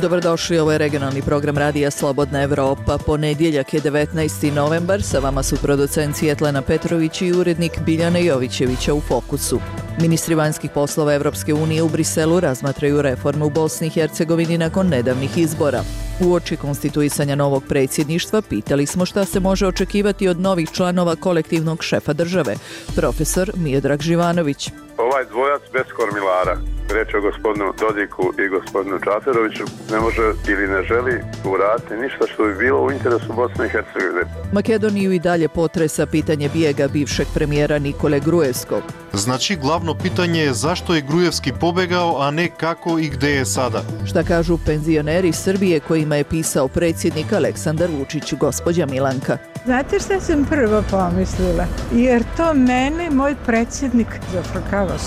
Dobrodošli, ovo je regionalni program Radija Slobodna Evropa. Ponedjeljak je 19. novembar, sa vama su producent Svjetlana Petrović i urednik Biljana Jovićevića u Fokusu. Ministri vanjskih poslova Evropske unije u Briselu razmatraju reforme u Bosni i Hercegovini nakon nedavnih izbora. Uoči konstituisanja novog predsjedništva pitali smo šta se može očekivati od novih članova kolektivnog šefa države, profesor Miodrag Živanović. Ovaj dvojac bez kormilara, reći o gospodinu Dodiku i gospodinu Čaferoviću, ne može ili ne želi uraditi ništa što bi bilo u interesu Bosne i Hercegovine. Makedoniju i dalje potresa pitanje bijega bivšeg premijera Nikole Gruevskog. Znači, glavno pitanje je zašto je Gruevski pobegao, a ne kako i gde je sada. Šta kažu penzioneri Srbije kojima je pisao predsjednik Aleksandar Vučić, gospođa Milanka. Znate šta sam prvo pomislila? Jer to mene moj predsjednik zafrkava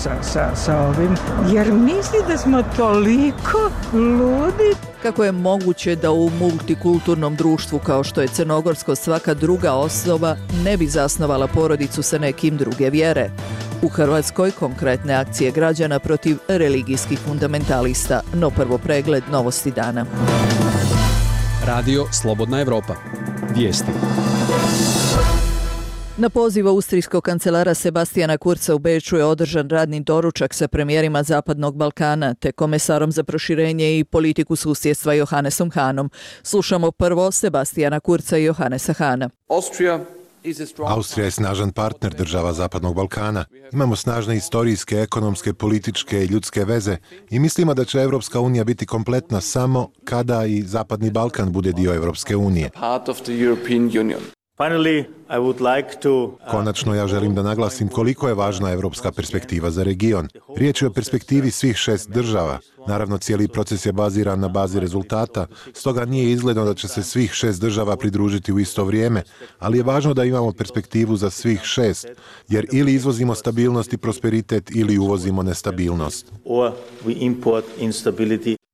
sa ovim. Jer misli da smo toliko ludi. Kako je moguće da u multikulturnom društvu kao što je crnogorsko svaka druga osoba ne bi zasnovala porodicu sa nekim druge vjere? U Hrvatskoj konkretne akcije građana protiv religijskih fundamentalista, no prvo pregled novosti dana. Radio Slobodna Evropa. Vijesti. Na poziv austrijskog kancelara Sebastijana Kurza u Beču je održan radni doručak sa premijerima Zapadnog Balkana te komesarom za proširenje i politiku susjedstva Johannesom Hahnom. Slušamo prvo Sebastijana Kurza i Johannesa Hahna. Austrija je snažan partner država Zapadnog Balkana. Imamo snažne istorijske, ekonomske, političke i ljudske veze i mislimo da će Evropska unija biti kompletna samo kada i Zapadni Balkan bude dio Evropske unije. Konačno, ja želim da naglasim koliko je važna evropska perspektiva za region. Riječ je o perspektivi svih 6 država. Naravno, cijeli proces je baziran na bazi rezultata, stoga nije izgledno da će se svih 6 država pridružiti u isto vrijeme, ali je važno da imamo perspektivu za svih 6, jer ili izvozimo stabilnost i prosperitet ili uvozimo nestabilnost.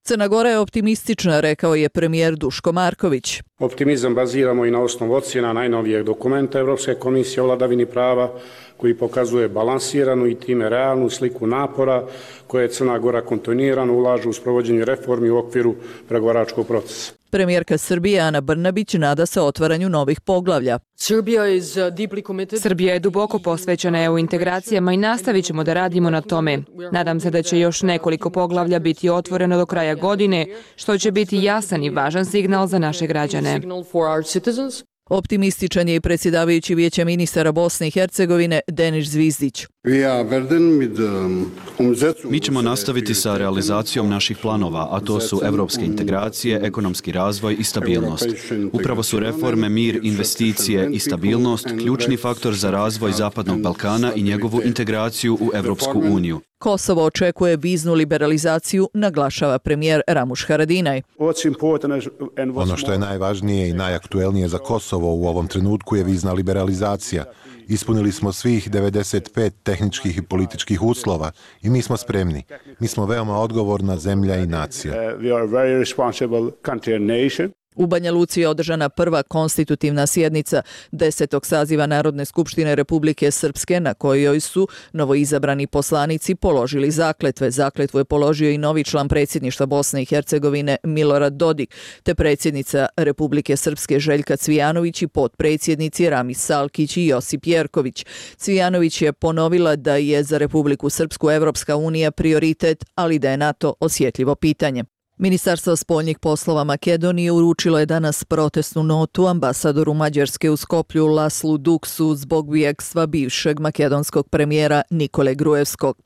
Crna Gora je optimistična, rekao je premijer Duško Marković. Optimizam baziramo i na osnovu ocjena najnovijeg dokumenta Europske komisije o vladavini prava, koji pokazuje balansiranu i time realnu sliku napora koje Crna Gora kontinuirano ulaže u sprovođenju reformi u okviru pregovaračkog procesa. Premijerka Srbije Ana Brnabić nada se otvaranju novih poglavlja. Srbija je duboko posvećena EU integracijama i nastavit ćemo da radimo na tome. Nadam se da će još nekoliko poglavlja biti otvoreno do kraja godine, što će biti jasan i važan signal za naše građane. Optimističan je i predsjedavajući Vijeća ministara Bosne i Hercegovine Denis Zvizdić. Mi ćemo nastaviti sa realizacijom naših planova, a to su evropske integracije, ekonomski razvoj i stabilnost. Upravo su reforme, mir, investicije i stabilnost ključni faktor za razvoj Zapadnog Balkana i njegovu integraciju u Evropsku uniju. Kosovo očekuje viznu liberalizaciju, naglašava premijer Ramuš Haradinaj. Ono što je najvažnije i najaktuelnije za Kosovo u ovom trenutku je vizna liberalizacija. Ispunili smo svih 95 tehničkih i političkih uslova i mi smo spremni. Mi smo veoma odgovorna zemlja i nacija. U Banja Luci je održana prva konstitutivna sjednica 10. saziva Narodne skupštine Republike Srpske, na kojoj su novoizabrani poslanici položili zakletve. Zakletvu je položio i novi član predsjedništva Bosne i Hercegovine Milorad Dodik, te predsjednica Republike Srpske Željka Cvijanović i potpredsjednici Ramis Salkić i Josip Jerković. Cvijanović je ponovila da je za Republiku Srpsku Evropska unija prioritet, ali da je NATO osjetljivo pitanje. Ministarstvo spoljnih poslova Makedonije uručilo je danas protestnu notu ambasadoru Mađarske u Skoplju Laslu Duksu zbog bijegstva bivšeg makedonskog premijera Nikole Gruevskog.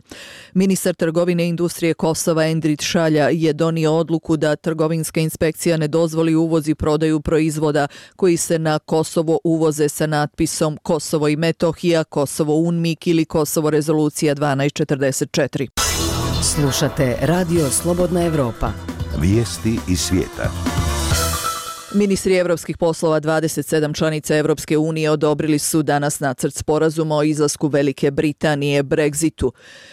Ministar trgovine i industrije Kosova Endrit Šalja je donio odluku da trgovinska inspekcija ne dozvoli uvoz i prodaju proizvoda koji se na Kosovo uvoze sa natpisom Kosovo i Metohija, Kosovo UNMIK ili Kosovo rezolucija 1244. Slušate Radio Slobodna Evropa. Vijesti iz svijeta. Ministri evropskih poslova 27 članica Evropske unije odobrili su danas nacrt sporazuma o izlasku Velike Britanije Brexitu.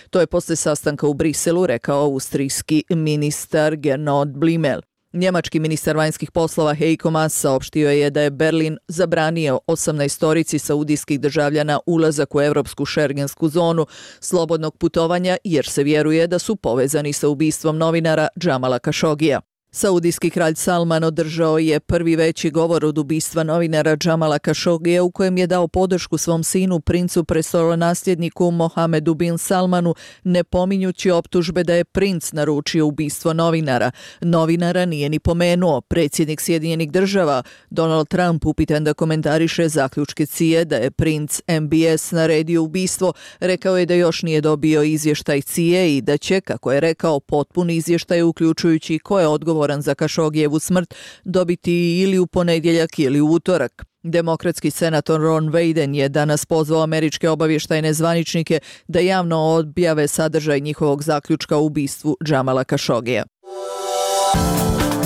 To je posle sastanka u Briselu rekao austrijski ministar Gernot Blümel. Njemački ministar vanjskih poslova Heiko Maas saopštio je da je Berlin zabranio 18 saudijskih državljana ulazak u evropsku šengensku zonu slobodnog putovanja jer se vjeruje da su povezani sa ubistvom novinara Džamala Kašogija. Saudijski kralj Salman održao je prvi veći govor od ubistva novinara Jamala Khashogija u kojem je dao podršku svom sinu, princu prestolonasljedniku Mohamedu bin Salmanu, ne pominjući optužbe da je princ naručio ubistvo novinara. Novinara nije ni pomenuo. Predsjednik Sjedinjenih država Donald Trump, upitan da komentariše zaključke CIA da je princ MBS naredio ubistvo, rekao je da još nije dobio izvještaj CIA i da će, kako je rekao, potpun izvještaj uključujući ko je odgovoran za Khashoggijevu smrt dobiti ili u ponedjeljak ili u utorak. Demokratski senator Ron Wyden je danas pozvao američke obavještajne zvaničnike da javno objave sadržaj njihovog zaključka o ubistvu Jamala Khashoggija.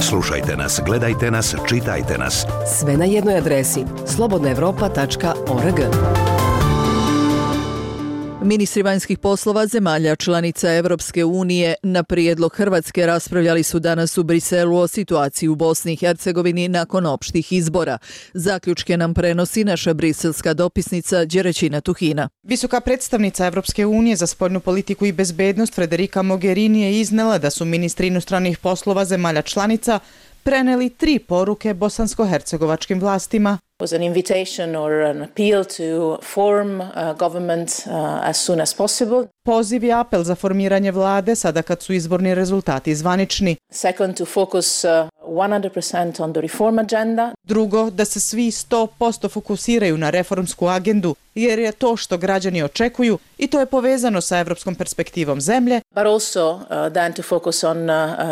Slušajte nas, gledajte nas, čitajte nas. Sve na jednoj adresi slobodnaevropa.org. Ministri vanjskih poslova zemalja članica Evropske unije na prijedlog Hrvatske raspravljali su danas u Briselu o situaciji u Bosni i Hercegovini nakon opštih izbora. Zaključke nam prenosi naša briselska dopisnica Đeraćina Tuhina. Visoka predstavnica Evropske unije za spoljnu politiku i bezbednost Federica Mogherini je iznela da su ministri inostranih poslova zemalja članica preneli 3 poruke bosansko-hercegovačkim vlastima. Was an invitation or an appeal to form a government as soon as possible. Poziv je apel za formiranje vlade sada kad su izborni rezultati zvanični. Second, to focus 100% on the reform agenda. Drugo, da se svi 100% fokusiraju na reformsku agendu, jer je to što građani očekuju i to je povezano sa evropskom perspektivom zemlje. But also then to focus on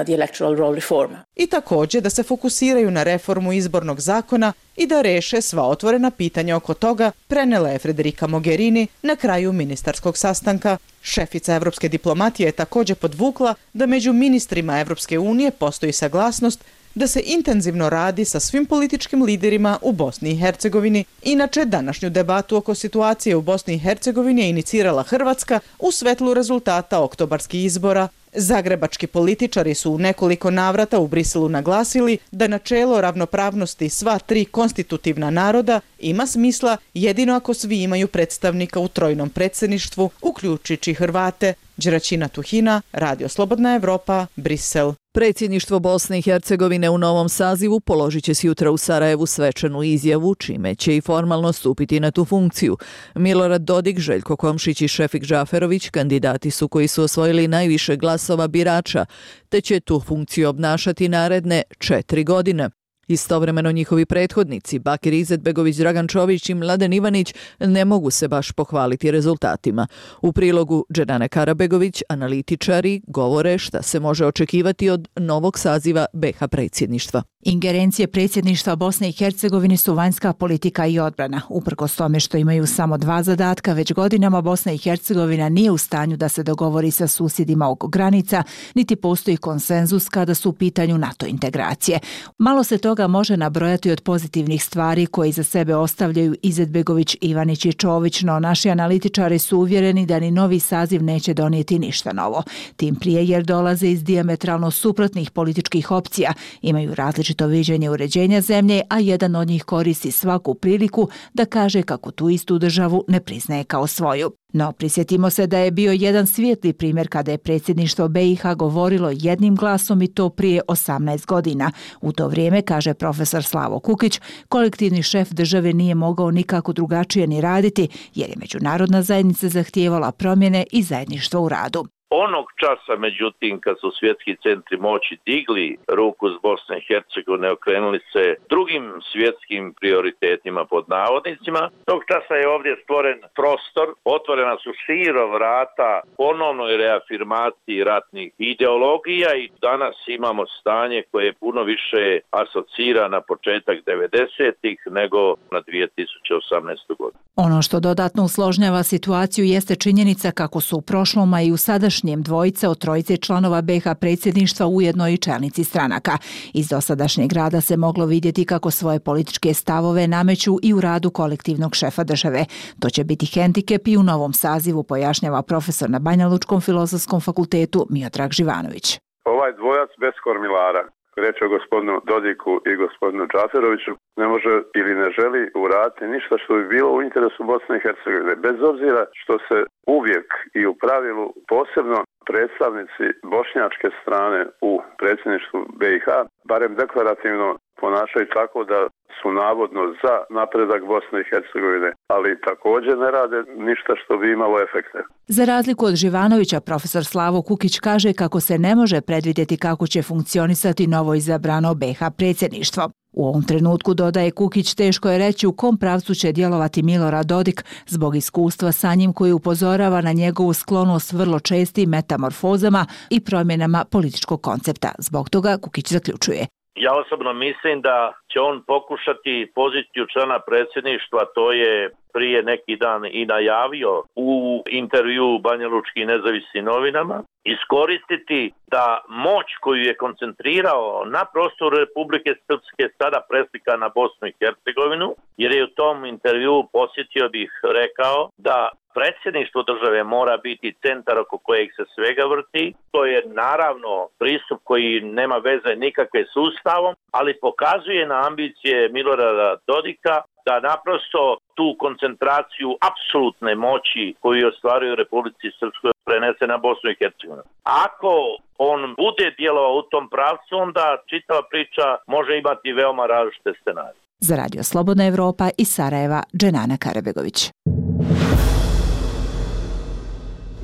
the electoral roll reform. I također da se fokusiraju na reformu izbornog zakona i da reše sva otvorena pitanja oko toga, prenela je Federica Mogherini na kraju ministarskog sastanka. Šefica evropske diplomatije je također podvukla da među ministrima Evropske unije postoji saglasnost da se intenzivno radi sa svim političkim liderima u Bosni i Hercegovini. Inače, današnju debatu oko situacije u Bosni i Hercegovini je inicirala Hrvatska u svetlu rezultata oktobarskih izbora. Zagrebački političari su u nekoliko navrata u Briselu naglasili da načelo ravnopravnosti sva 3 konstitutivna naroda ima smisla jedino ako svi imaju predstavnika u trojnom predsjedništvu, uključujući Hrvate. Đeraćina Tuhina, Radio Slobodna Evropa, Brisel. Predsjedništvo Bosne i Hercegovine u novom sazivu položit će sutra u Sarajevu svečanu izjavu, čime će i formalno stupiti na tu funkciju. Milorad Dodik, Željko Komšić i Šefik Džaferović kandidati su koji su osvojili najviše glasova birača, te će tu funkciju obnašati naredne 4 godine. Istovremeno njihovi prethodnici, Bakir Izetbegović, Dragan Čović i Mladen Ivanić, ne mogu se baš pohvaliti rezultatima. U prilogu Dženane Karabegović analitičari govore šta se može očekivati od novog saziva BiH predsjedništva. Ingerencije predsjedništva Bosne i Hercegovine su vanjska politika i odbrana. Uprkos tome što imaju samo 2 zadatka, već godinama Bosna i Hercegovina nije u stanju da se dogovori sa susjedima oko granica, niti postoji konsenzus kada su u pitanju NATO integracije. Malo se toga može nabrojati od pozitivnih stvari koje iza sebe ostavljaju Izetbegović, Ivanić i Čović, no naši analitičari su uvjereni da ni novi saziv neće donijeti ništa novo. Tim prije jer dolaze iz dijametralno suprotnih političkih opcija, imaju različito viđenje uređenja zemlje, a jedan od njih koristi svaku priliku da kaže kako tu istu državu ne priznaje kao svoju. No, prisjetimo se da je bio jedan svijetli primjer kada je predsjedništvo BiH govorilo jednim glasom i to prije 18 godina. U to vrijeme, kaže profesor Slavo Kukić, kolektivni šef države nije mogao nikako drugačije ni raditi jer je međunarodna zajednica zahtijevala promjene i zajedništvo u radu. Onog časa, međutim, kad su svjetski centri moći digli ruku s Bosne i Hercegovine, okrenuli se drugim svjetskim prioritetima pod navodnicima, tog časa je ovdje stvoren prostor, otvorena su širo vrata ponovnoj reafirmaciji ratnih ideologija i danas imamo stanje koje je puno više asocira na početak 90-ih nego na 2018. godinu. Ono što dodatno usložnjava situaciju jeste činjenica kako su u prošlom, a i u sadašnjem dvojice od trojice članova BiH predsjedništva ujedno i čelnici stranaka. Iz dosadašnjeg rada se moglo vidjeti kako svoje političke stavove nameću i u radu kolektivnog šefa države. To će biti hendikep i u novom sazivu, pojašnjava profesor na Banjalučkom filozofskom fakultetu Miodrag Živanović. Ovaj dvojac bez kormilara, reč o gospodinu Dodiku i gospodinu Džaferoviću, ne može ili ne želi uraditi ništa što bi bilo u interesu Bosne i Hercegovine. Bez obzira što se uvijek i u pravilu posebno predstavnici bošnjačke strane u predsjedništvu BiH barem deklarativno ponašaju tako da su navodno za napredak Bosne i Hercegovine, ali također ne rade ništa što bi imalo efekte. Za razliku od Živanovića, profesor Slavo Kukić kaže kako se ne može predvidjeti kako će funkcionisati novo izabrano BiH predsjedništvo. U ovom trenutku, dodaje Kukić, teško je reći u kom pravcu će djelovati Milorad Dodik zbog iskustva sa njim koji upozorava na njegovu sklonost vrlo čestim metamorfozama i promjenama političkog koncepta. Zbog toga Kukić zaključuje. Ja osobno mislim da će on pokušati poziciju člana predsjedništva, to je prije neki dan i najavio u intervju Banjalučkim nezavisnim novinama, iskoristiti da moć koju je koncentrirao na prostoru Republike Srpske sada preslika na Bosnu i Hercegovinu, jer je u tom intervju, posjetio bih, rekao da predsjedništvo države mora biti centar oko kojeg se svega vrti. To je naravno pristup koji nema veze nikakve s Ustavom, ali pokazuje na ambicije Milorada Dodika da naprosto tu koncentraciju apsolutne moći koju ostvaruju u Republici Srpskoj prenese na Bosnu i Hercegovinu. Ako on bude djelovao u tom pravcu, onda čitava priča može imati veoma različite scenarije. Za Radio Slobodna Evropa iz Sarajeva, Dženana Karabegović.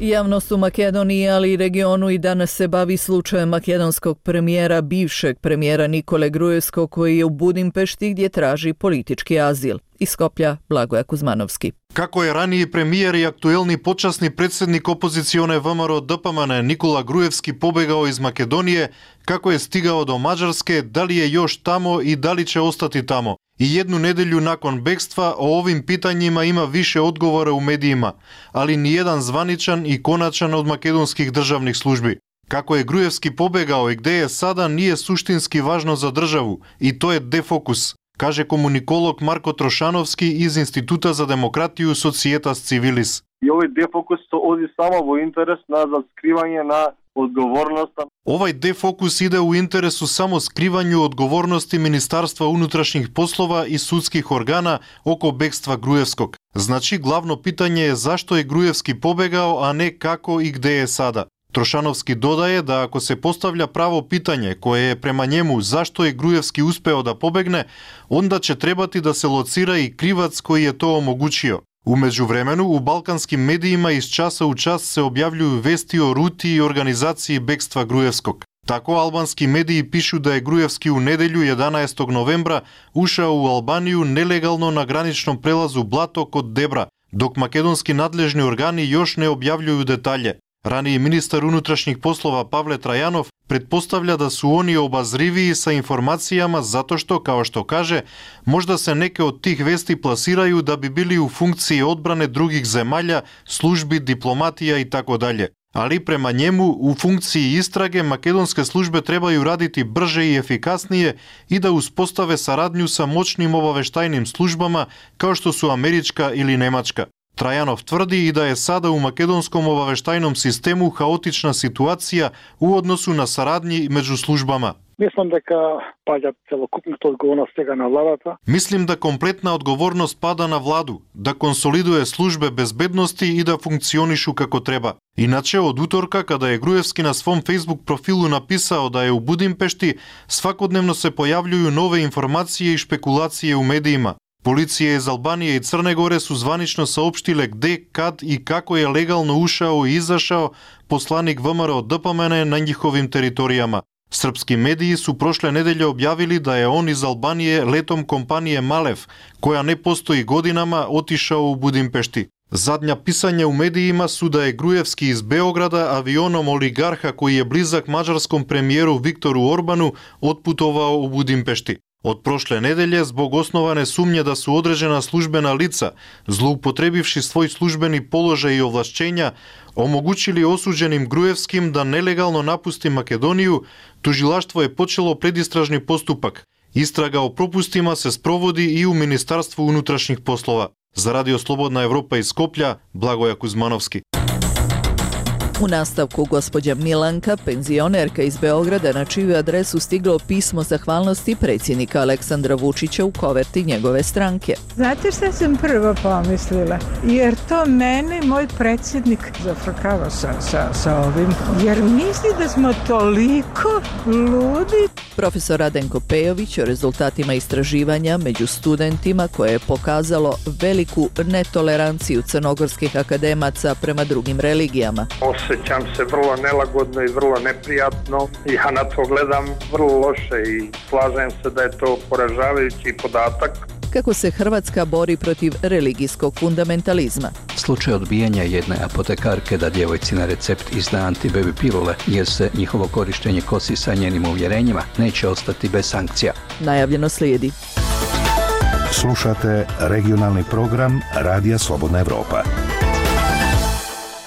Javnost u Makedoniji, ali i regionu i danas se bavi slučajem makedonskog premijera, bivšeg premijera Nikole Gruevskog, koji je u Budimpešti gdje traži politički azil. Iz Skoplja, Blagoja Kuzmanovski. Како е ранiji premijer i aktuelni počasni predsjednik opozicione ВМРО ДПМН Nikola Gruevski pobegao iz Makedonije, kako je stigao do Mađarske, da li je još tamo i da li će ostati tamo. I jednu nedelju nakon bekstva o ovim pitanjima ima više odgovora u medijima, ali nijedan zvaničan i konačan od makedonskih državnih službi. Kako je Gruevski pobegao i gde je sada nije suštinski važno za državu i to je defokus, kaže komunikolog Marko Trošanovski iz Instituta za demokratiju Societas Civilis. I ovaj defokus to odi samo u interes na skrivanje na odgovornost. Ovaj defokus ide u interesu samo skrivanju odgovornosti Ministarstva unutrašnjih poslova i sudskih organa oko bekstva Gruevskog. Znači, glavno pitanje je zašto je Gruevski pobegao, a ne kako i gde je sada. Trošanovski dodaje da ako se postavlja pravo pitanje koje je prema njemu zašto je Gruevski uspeo da pobegne, onda će trebati da se locira i krivac koji je to omogućio. U međuvremenu, u balkanskim medijima iz časa u čas se objavljuju vesti o ruti i organizaciji bekstva Gruevskog. Tako albanski mediji pišu da je Gruevski u nedelju 11. novembra ušao u Albaniju nelegalno na graničnom prelazu Blato kod Debra, dok makedonski nadležni organi još ne objavljuju detalje. Raniji ministar unutrašnjih poslova Pavle Trajanov pretpostavlja da su oni obazriviji sa informacijama zato što, kao što kaže, možda se neke od tih vesti plasiraju da bi bili u funkciji odbrane drugih zemalja, službi, diplomatija i tako dalje. Ali prema njemu, u funkciji istrage, makedonske službe trebaju raditi brže i efikasnije i da uspostave saradnju sa moćnim obaveštajnim službama kao što su američka ili nemačka. Trajanov tvrdi i da je sada u makedonskom obaveštajnom sistemu haotična situacija u odnosu na saradnji među službama. Mislim da kompletna odgovornost pada na vladu, da konsoliduje službe bezbednosti i da funkcionišu kako treba. Inače, od utorka, kada je Gruevski na svom Facebook profilu napisao da je u Budimpešti, svakodnevno se pojavljuju nove informacije i špekulacije u medijima. Policije iz Albanije i Crne Gore su zvanično saopštile gde, kad i kako je legalno ušao i izašao poslanik ВМРО ДПМН na njihovim teritorijama. Srpski mediji su prošle nedelje objavili da je on iz Albanije letom kompanije Malev, koja ne postoji godinama, otišao u Budimpešti. Zadnja pisanja u medijima su da je Gruevski iz Beograda avionom oligarha koji je blizak mađarskom premijeru Viktoru Orbanu otputovao u Budimpešti. Od prošle nedelje, zbog osnovane sumnje da su određena službena lica, zloupotrebivši svoj službeni položaj i ovlašćenja, omogućili osuđenim Gruevskim da nelegalno napusti Makedoniju, tužilaštvo je počelo predistražni postupak. Istraga o propustima se sprovodi i u Ministarstvu unutrašnjih poslova. Za Radio Slobodna Evropa iz Skoplja, Blagoja Kuzmanovski. U nastavku gospođa Milanka, penzionerka iz Beograda, na čiju adresu stiglo pismo zahvalnosti predsjednika Aleksandra Vučića u koverti njegove stranke. Znate šta sam prvo pomislila? Jer to mene moj predsjednik zafrkava sa ovim. Jer misli da smo toliko ludi. Profesor Radenko Pejović o rezultatima istraživanja među studentima koje je pokazalo veliku netoleranciju crnogorskih akademaca prema drugim religijama. Osjećam se vrlo nelagodno i vrlo neprijatno i ja na to gledam vrlo loše i slažem se da je to poražavajući podatak. Kako se Hrvatska bori protiv religijskog fundamentalizma? Slučaj odbijanja jedne apotekarke da djevojci na recept izda antibaby pilule jer se njihovo korištenje kosi sa njenim uvjerenjima neće ostati bez sankcija. Najavljeno slijedi. Slušate regionalni program Radija Slobodna Evropa.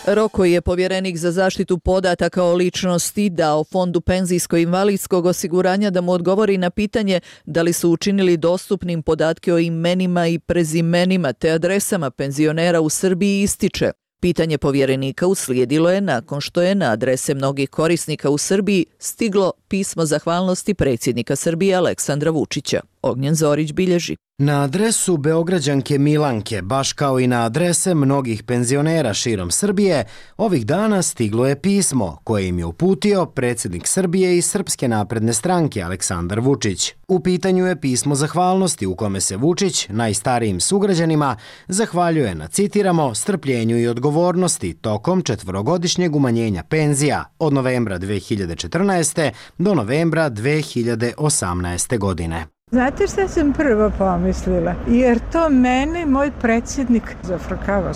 Rok koji je povjerenik za zaštitu podataka o ličnosti dao Fondu penzijsko-invalidskog osiguranja da mu odgovori na pitanje da li su učinili dostupnim podatke o imenima i prezimenima te adresama penzionera u Srbiji ističe. Pitanje povjerenika uslijedilo je nakon što je na adrese mnogih korisnika u Srbiji stiglo pismo zahvalnosti predsjednika Srbije Aleksandra Vučića. Ognjen Zorić bilježi. Na adresu Beograđanke Milanke, baš kao i na adrese mnogih penzionera širom Srbije, ovih dana stiglo je pismo koje im je uputio predsjednik Srbije i Srpske napredne stranke Aleksandar Vučić. U pitanju je pismo zahvalnosti u kome se Vučić najstarijim sugrađanima zahvaljuje na, citiramo, strpljenju i odgovornosti tokom 4-godišnjeg umanjenja penzija od novembra 2014. do novembra 2018. godine. Znate šta sam prvo pomislila? Jer to mene moj predsjednik zafrkava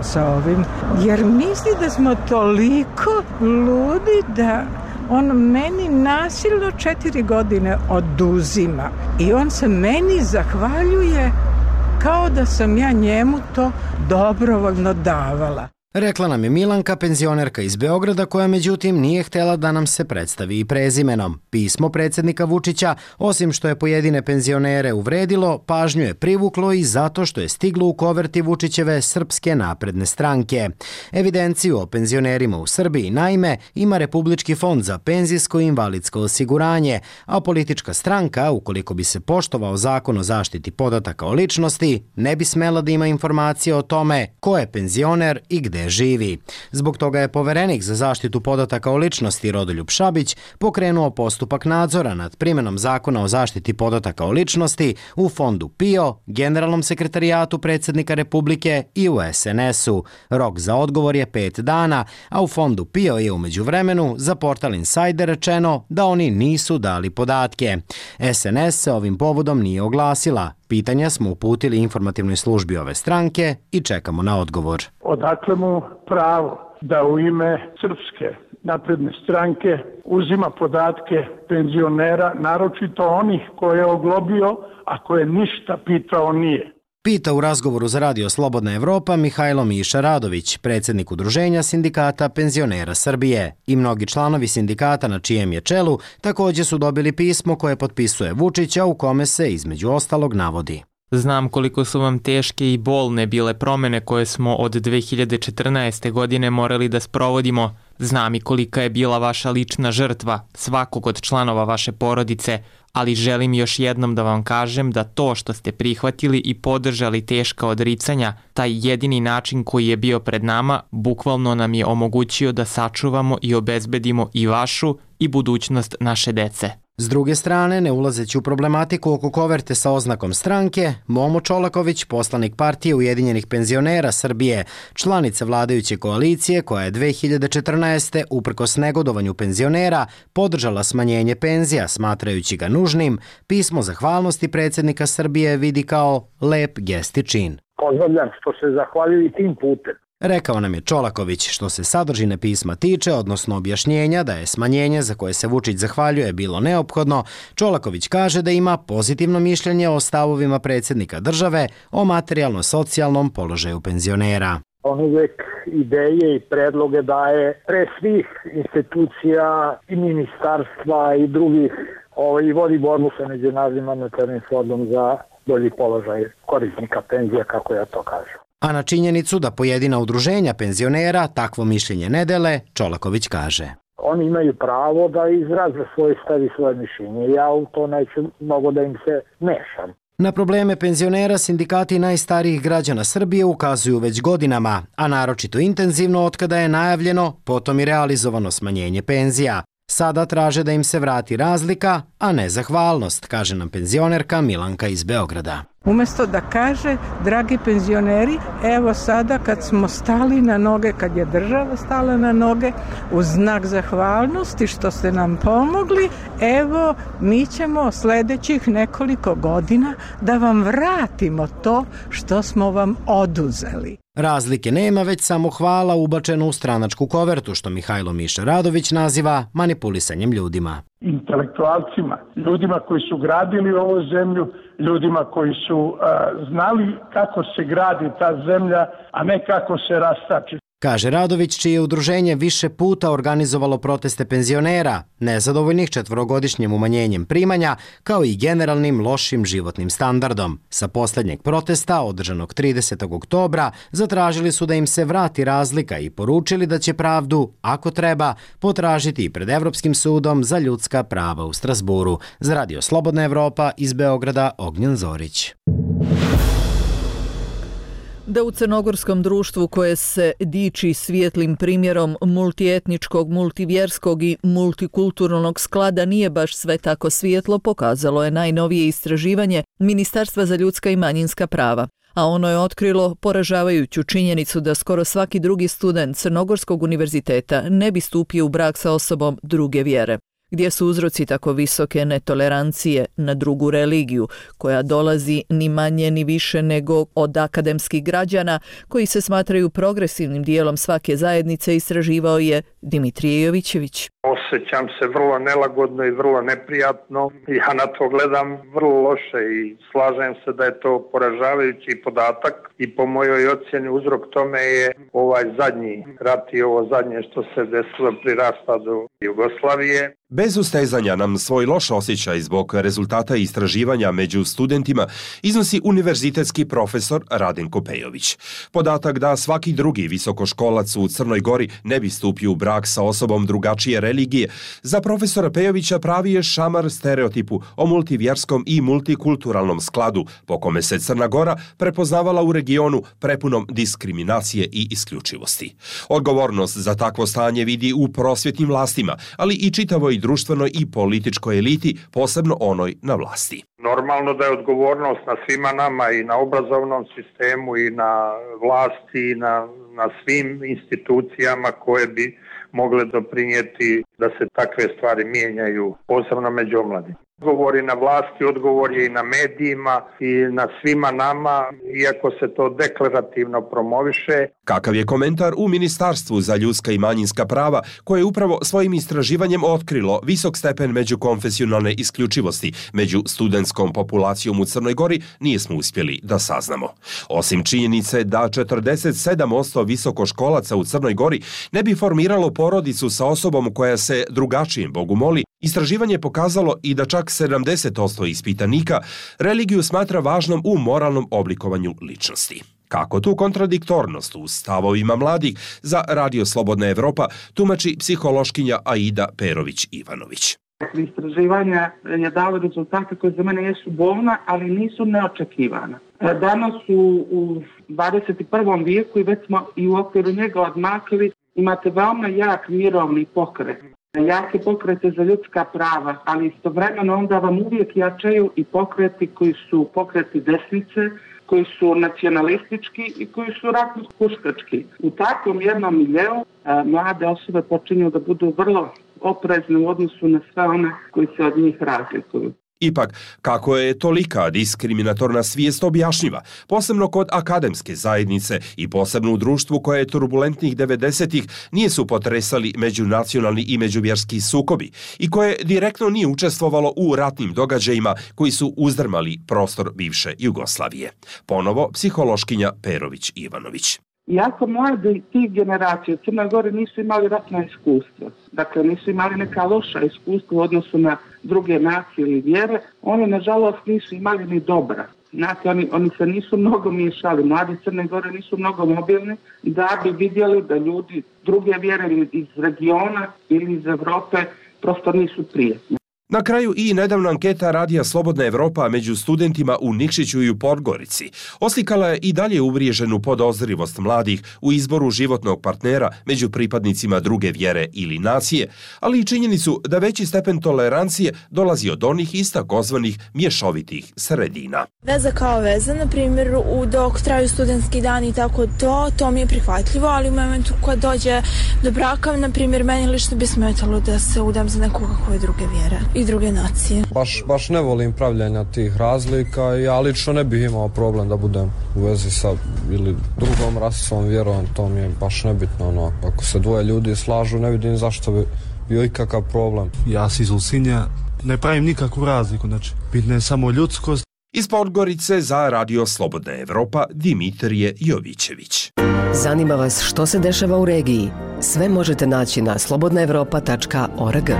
sa ovim. Jer misli da smo toliko ludi da on meni nasilno 4 godine oduzima. I on se meni zahvaljuje kao da sam ja njemu to dobrovoljno davala. Rekla nam je Milanka, penzionerka iz Beograda, koja međutim nije htjela da nam se predstavi i prezimenom. Pismo predsjednika Vučića, osim što je pojedine penzionere uvredilo, pažnju je privuklo i zato što je stiglo u koverti Vučićeve Srpske napredne stranke. Evidenciju o penzionerima u Srbiji, naime, ima Republički fond za penzijsko i invalidsko osiguranje, a politička stranka, ukoliko bi se poštovao zakon o zaštiti podataka o ličnosti, ne bi smela da ima informacije o tome ko je penzioner i gde živi. Zbog toga je poverenik za zaštitu podataka o ličnosti Rodoljub Šabić pokrenuo postupak nadzora nad primjenom zakona o zaštiti podataka o ličnosti u Fondu PIO, Generalnom sekretarijatu predsjednika Republike i u SNS-u. Rok za odgovor je 5 dana, a u Fondu PIO je u međuvremenu za portal Insider rečeno da oni nisu dali podatke. SNS se ovim povodom nije oglasila. Pitanja smo uputili informativnoj službi ove stranke i čekamo na odgovor. Odakle mu pravo da u ime Srpske napredne stranke uzima podatke penzionera, naročito onih koje je oglobio, a koje ništa pitao nije? Pita u razgovoru za Radio Slobodna Evropa Mihajlo Miša Radović, predsjednik Udruženja sindikata penzionera Srbije. I mnogi članovi sindikata na čijem je čelu također su dobili pismo koje potpisuje Vučića u kome se između ostalog navodi. Znam koliko su vam teške i bolne bile promjene koje smo od 2014. godine morali da sprovodimo. Znam i kolika je bila vaša lična žrtva, svakog od članova vaše porodice, ali želim još jednom da vam kažem da to što ste prihvatili i podržali teška odricanja, taj jedini način koji je bio pred nama, bukvalno nam je omogućio da sačuvamo i obezbedimo i vašu i budućnost naše dece. S druge strane, ne ulazeći u problematiku oko koverte sa oznakom stranke, Momo Čolaković, poslanik partije Ujedinjenih penzionera Srbije, članica vladajuće koalicije koja je 2014. uprkos negodovanju penzionera podržala smanjenje penzija smatrajući ga nužnim, pismo zahvalnosti predsjednika Srbije vidi kao lep gest i čin. Pozdravljam što se zahvaljuju tim putem. Rekao nam je Čolaković. Što se sadržine pisma tiče, odnosno objašnjenja da je smanjenje za koje se Vučić zahvaljuje bilo neophodno, Čolaković kaže da ima pozitivno mišljenje o stavovima predsjednika države o materijalno-socijalnom položaju penzionera. On uvijek ideje i predloge daje pre svih institucija i ministarstva i drugih i vodi borbu sa Međunarodnim monetarnim fondom za bolji položaj korisnika penzija, kako ja to kažem. A na činjenicu da pojedina udruženja penzionera takvo mišljenje ne dele, Čolaković kaže. Oni imaju pravo da izraze svoj stav i svoje mišljenje. Ja u to neću mnogo da im se mešam. Na probleme penzionera sindikati najstarijih građana Srbije ukazuju već godinama, a naročito intenzivno otkada je najavljeno, potom i realizovano smanjenje penzija. Sada traže da im se vrati razlika, a ne zahvalnost, kaže nam penzionerka Milanka iz Beograda. Umesto da kaže, dragi penzioneri, evo sada kad smo stali na noge, kad je država stala na noge, u znak zahvalnosti što ste nam pomogli, evo mi ćemo sljedećih nekoliko godina da vam vratimo to što smo vam oduzeli. Razlike nema, već samo hvala ubačeno u stranačku kovertu, što Mihajlo Miša Radović naziva manipulisanjem ljudima. Intelektualcima, ljudima koji su gradili ovu zemlju, ljudima koji su znali kako se gradi ta zemlja, a ne kako se rastači. Kaže Radović, čije udruženje više puta organizovalo proteste penzionera, nezadovoljnih 4-godišnjim umanjenjem primanja, kao i generalnim lošim životnim standardom. Sa posljednjeg protesta, održanog 30. oktobra, zatražili su da im se vrati razlika i poručili da će pravdu, ako treba, potražiti i pred Evropskim sudom za ljudska prava u Strasburu. Za Radio Slobodna Evropa iz Beograda, Ognjen Zorić. Da u crnogorskom društvu koje se diči svijetlim primjerom multietničkog, multivjerskog i multikulturalnog sklada nije baš sve tako svijetlo, pokazalo je najnovije istraživanje Ministarstva za ljudska i manjinska prava. A ono je otkrilo poražavajuću činjenicu da skoro svaki drugi student Crnogorskog univerziteta ne bi stupio u brak sa osobom druge vjere. Gdje su uzroci tako visoke netolerancije na drugu religiju, koja dolazi ni manje ni više nego od akademskih građana koji se smatraju progresivnim dijelom svake zajednice, istraživao je Dimitrije Jovićević. Osjećam se vrlo nelagodno i vrlo neprijatno. Ja na to gledam vrlo loše i slažem se da je to poražavajući podatak i po mojoj ocjeni uzrok tome je ovaj zadnji rat i ovo zadnje što se desilo pri raspadu Jugoslavije. Bez ustezanja nam svoj loš osjećaj zbog rezultata istraživanja među studentima iznosi univerzitetski profesor Radenko Pejović. Podatak da svaki drugi visokoškolac u Crnoj Gori ne bi stupio u brak sa osobom drugačije religije, za profesora Pejovića pravi je šamar stereotipu o multivjerskom i multikulturalnom skladu, po kome se Crna Gora prepoznavala u regionu prepunom diskriminacije i isključivosti. Odgovornost za takvo stanje vidi u prosvjetnim vlastima, ali i čitavoj društvenoj i političkoj eliti, posebno onoj na vlasti. Normalno da je odgovornost na svima nama i na obrazovnom sistemu i na vlasti i na svim institucijama koje bi mogle doprinijeti da se takve stvari mijenjaju, posebno među omladima. Odgovor je na vlasti, odgovor je i na medijima i na svima nama, iako se to deklarativno promoviše. Kakav je komentar u Ministarstvu za ljudska i manjinska prava, koje je upravo svojim istraživanjem otkrilo visok stepen međukonfesionalne isključivosti među studentskom populacijom u Crnoj Gori, nismo uspjeli da saznamo. Osim činjenice da 47% visokoškolaca u Crnoj Gori ne bi formiralo porodicu sa osobom koja se drugačijem Bogu moli, istraživanje je pokazalo i da čak 70% ispitanika religiju smatra važnom u moralnom oblikovanju ličnosti. Kako tu kontradiktornost u stavovima mladih za Radio Slobodna Evropa tumači psihološkinja Aida Perović-Ivanović. Istraživanja je dalo rezultate koje za mene jesu bolna, ali nisu neočekivana. Danas u 21. vijeku i već smo i u okviru njega odmakli, imate veoma jak mirovni pokret. Jake pokrete za ljudska prava, ali istovremeno onda vam uvijek jačaju i pokreti koji su pokreti desnice, koji su nacionalistički i koji su ratno-huškački. U takvom jednom miljeu mlade osobe počinju da budu vrlo oprezne u odnosu na sve one koji se od njih razlikuju. Ipak, kako je tolika diskriminatorna svijest objašnjiva, posebno kod akademske zajednice i posebno u društvu koje je turbulentnih 90-ih nisu potresali međunacionalni i međuvjerski sukobi i koje direktno nije učestvovalo u ratnim događajima koji su uzdrmali prostor bivše Jugoslavije. Ponovo psihološkinja Perović-Ivanović. Iako mladi tih generacija u Crnoj Gori nisu imali ratna iskustva, dakle nisu imali neka loša iskustva u odnosu na druge nacije ili vjere, oni nažalost nisu imali ni dobra. Znate, oni se nisu mnogo miješali, mladi Crne Gore nisu mnogo mobilni da bi vidjeli da ljudi druge vjere ili iz regiona ili iz Evrope prosto nisu prijetni. Na kraju i nedavna anketa Radija Slobodna Evropa među studentima u Nikšiću i u Podgorici oslikala je i dalje uvriježenu podozrivost mladih u izboru životnog partnera među pripadnicima druge vjere ili nacije, ali i činjenicu da veći stepen tolerancije dolazi od onih iz takozvanih mješovitih sredina. Veza kao veza, na primjer, dok traju studentski dani i tako to mi je prihvatljivo, ali u momentu kad dođe do braka, na primjer, meni lično bi smetalo da se udam za nekoga koje druge vjere i druge nacije. Baš ne volim pravljanja tih razlika i ja lično ne bih imao problem da budem u vezi sa ili drugom rasom, vjerom, to mi je baš nebitno. Ako se dvoje ljudi slažu, ne vidim zašto bi bio ikakav problem. Ja si iz Ulcinja ne pravim nikakvu razliku, znači bitna je samo ljudskost. Iz Podgorice za Radio Slobodna Evropa Dimitrije Jovićević. Zanima vas što se dešava u regiji? Sve možete naći na slobodnaevropa.org.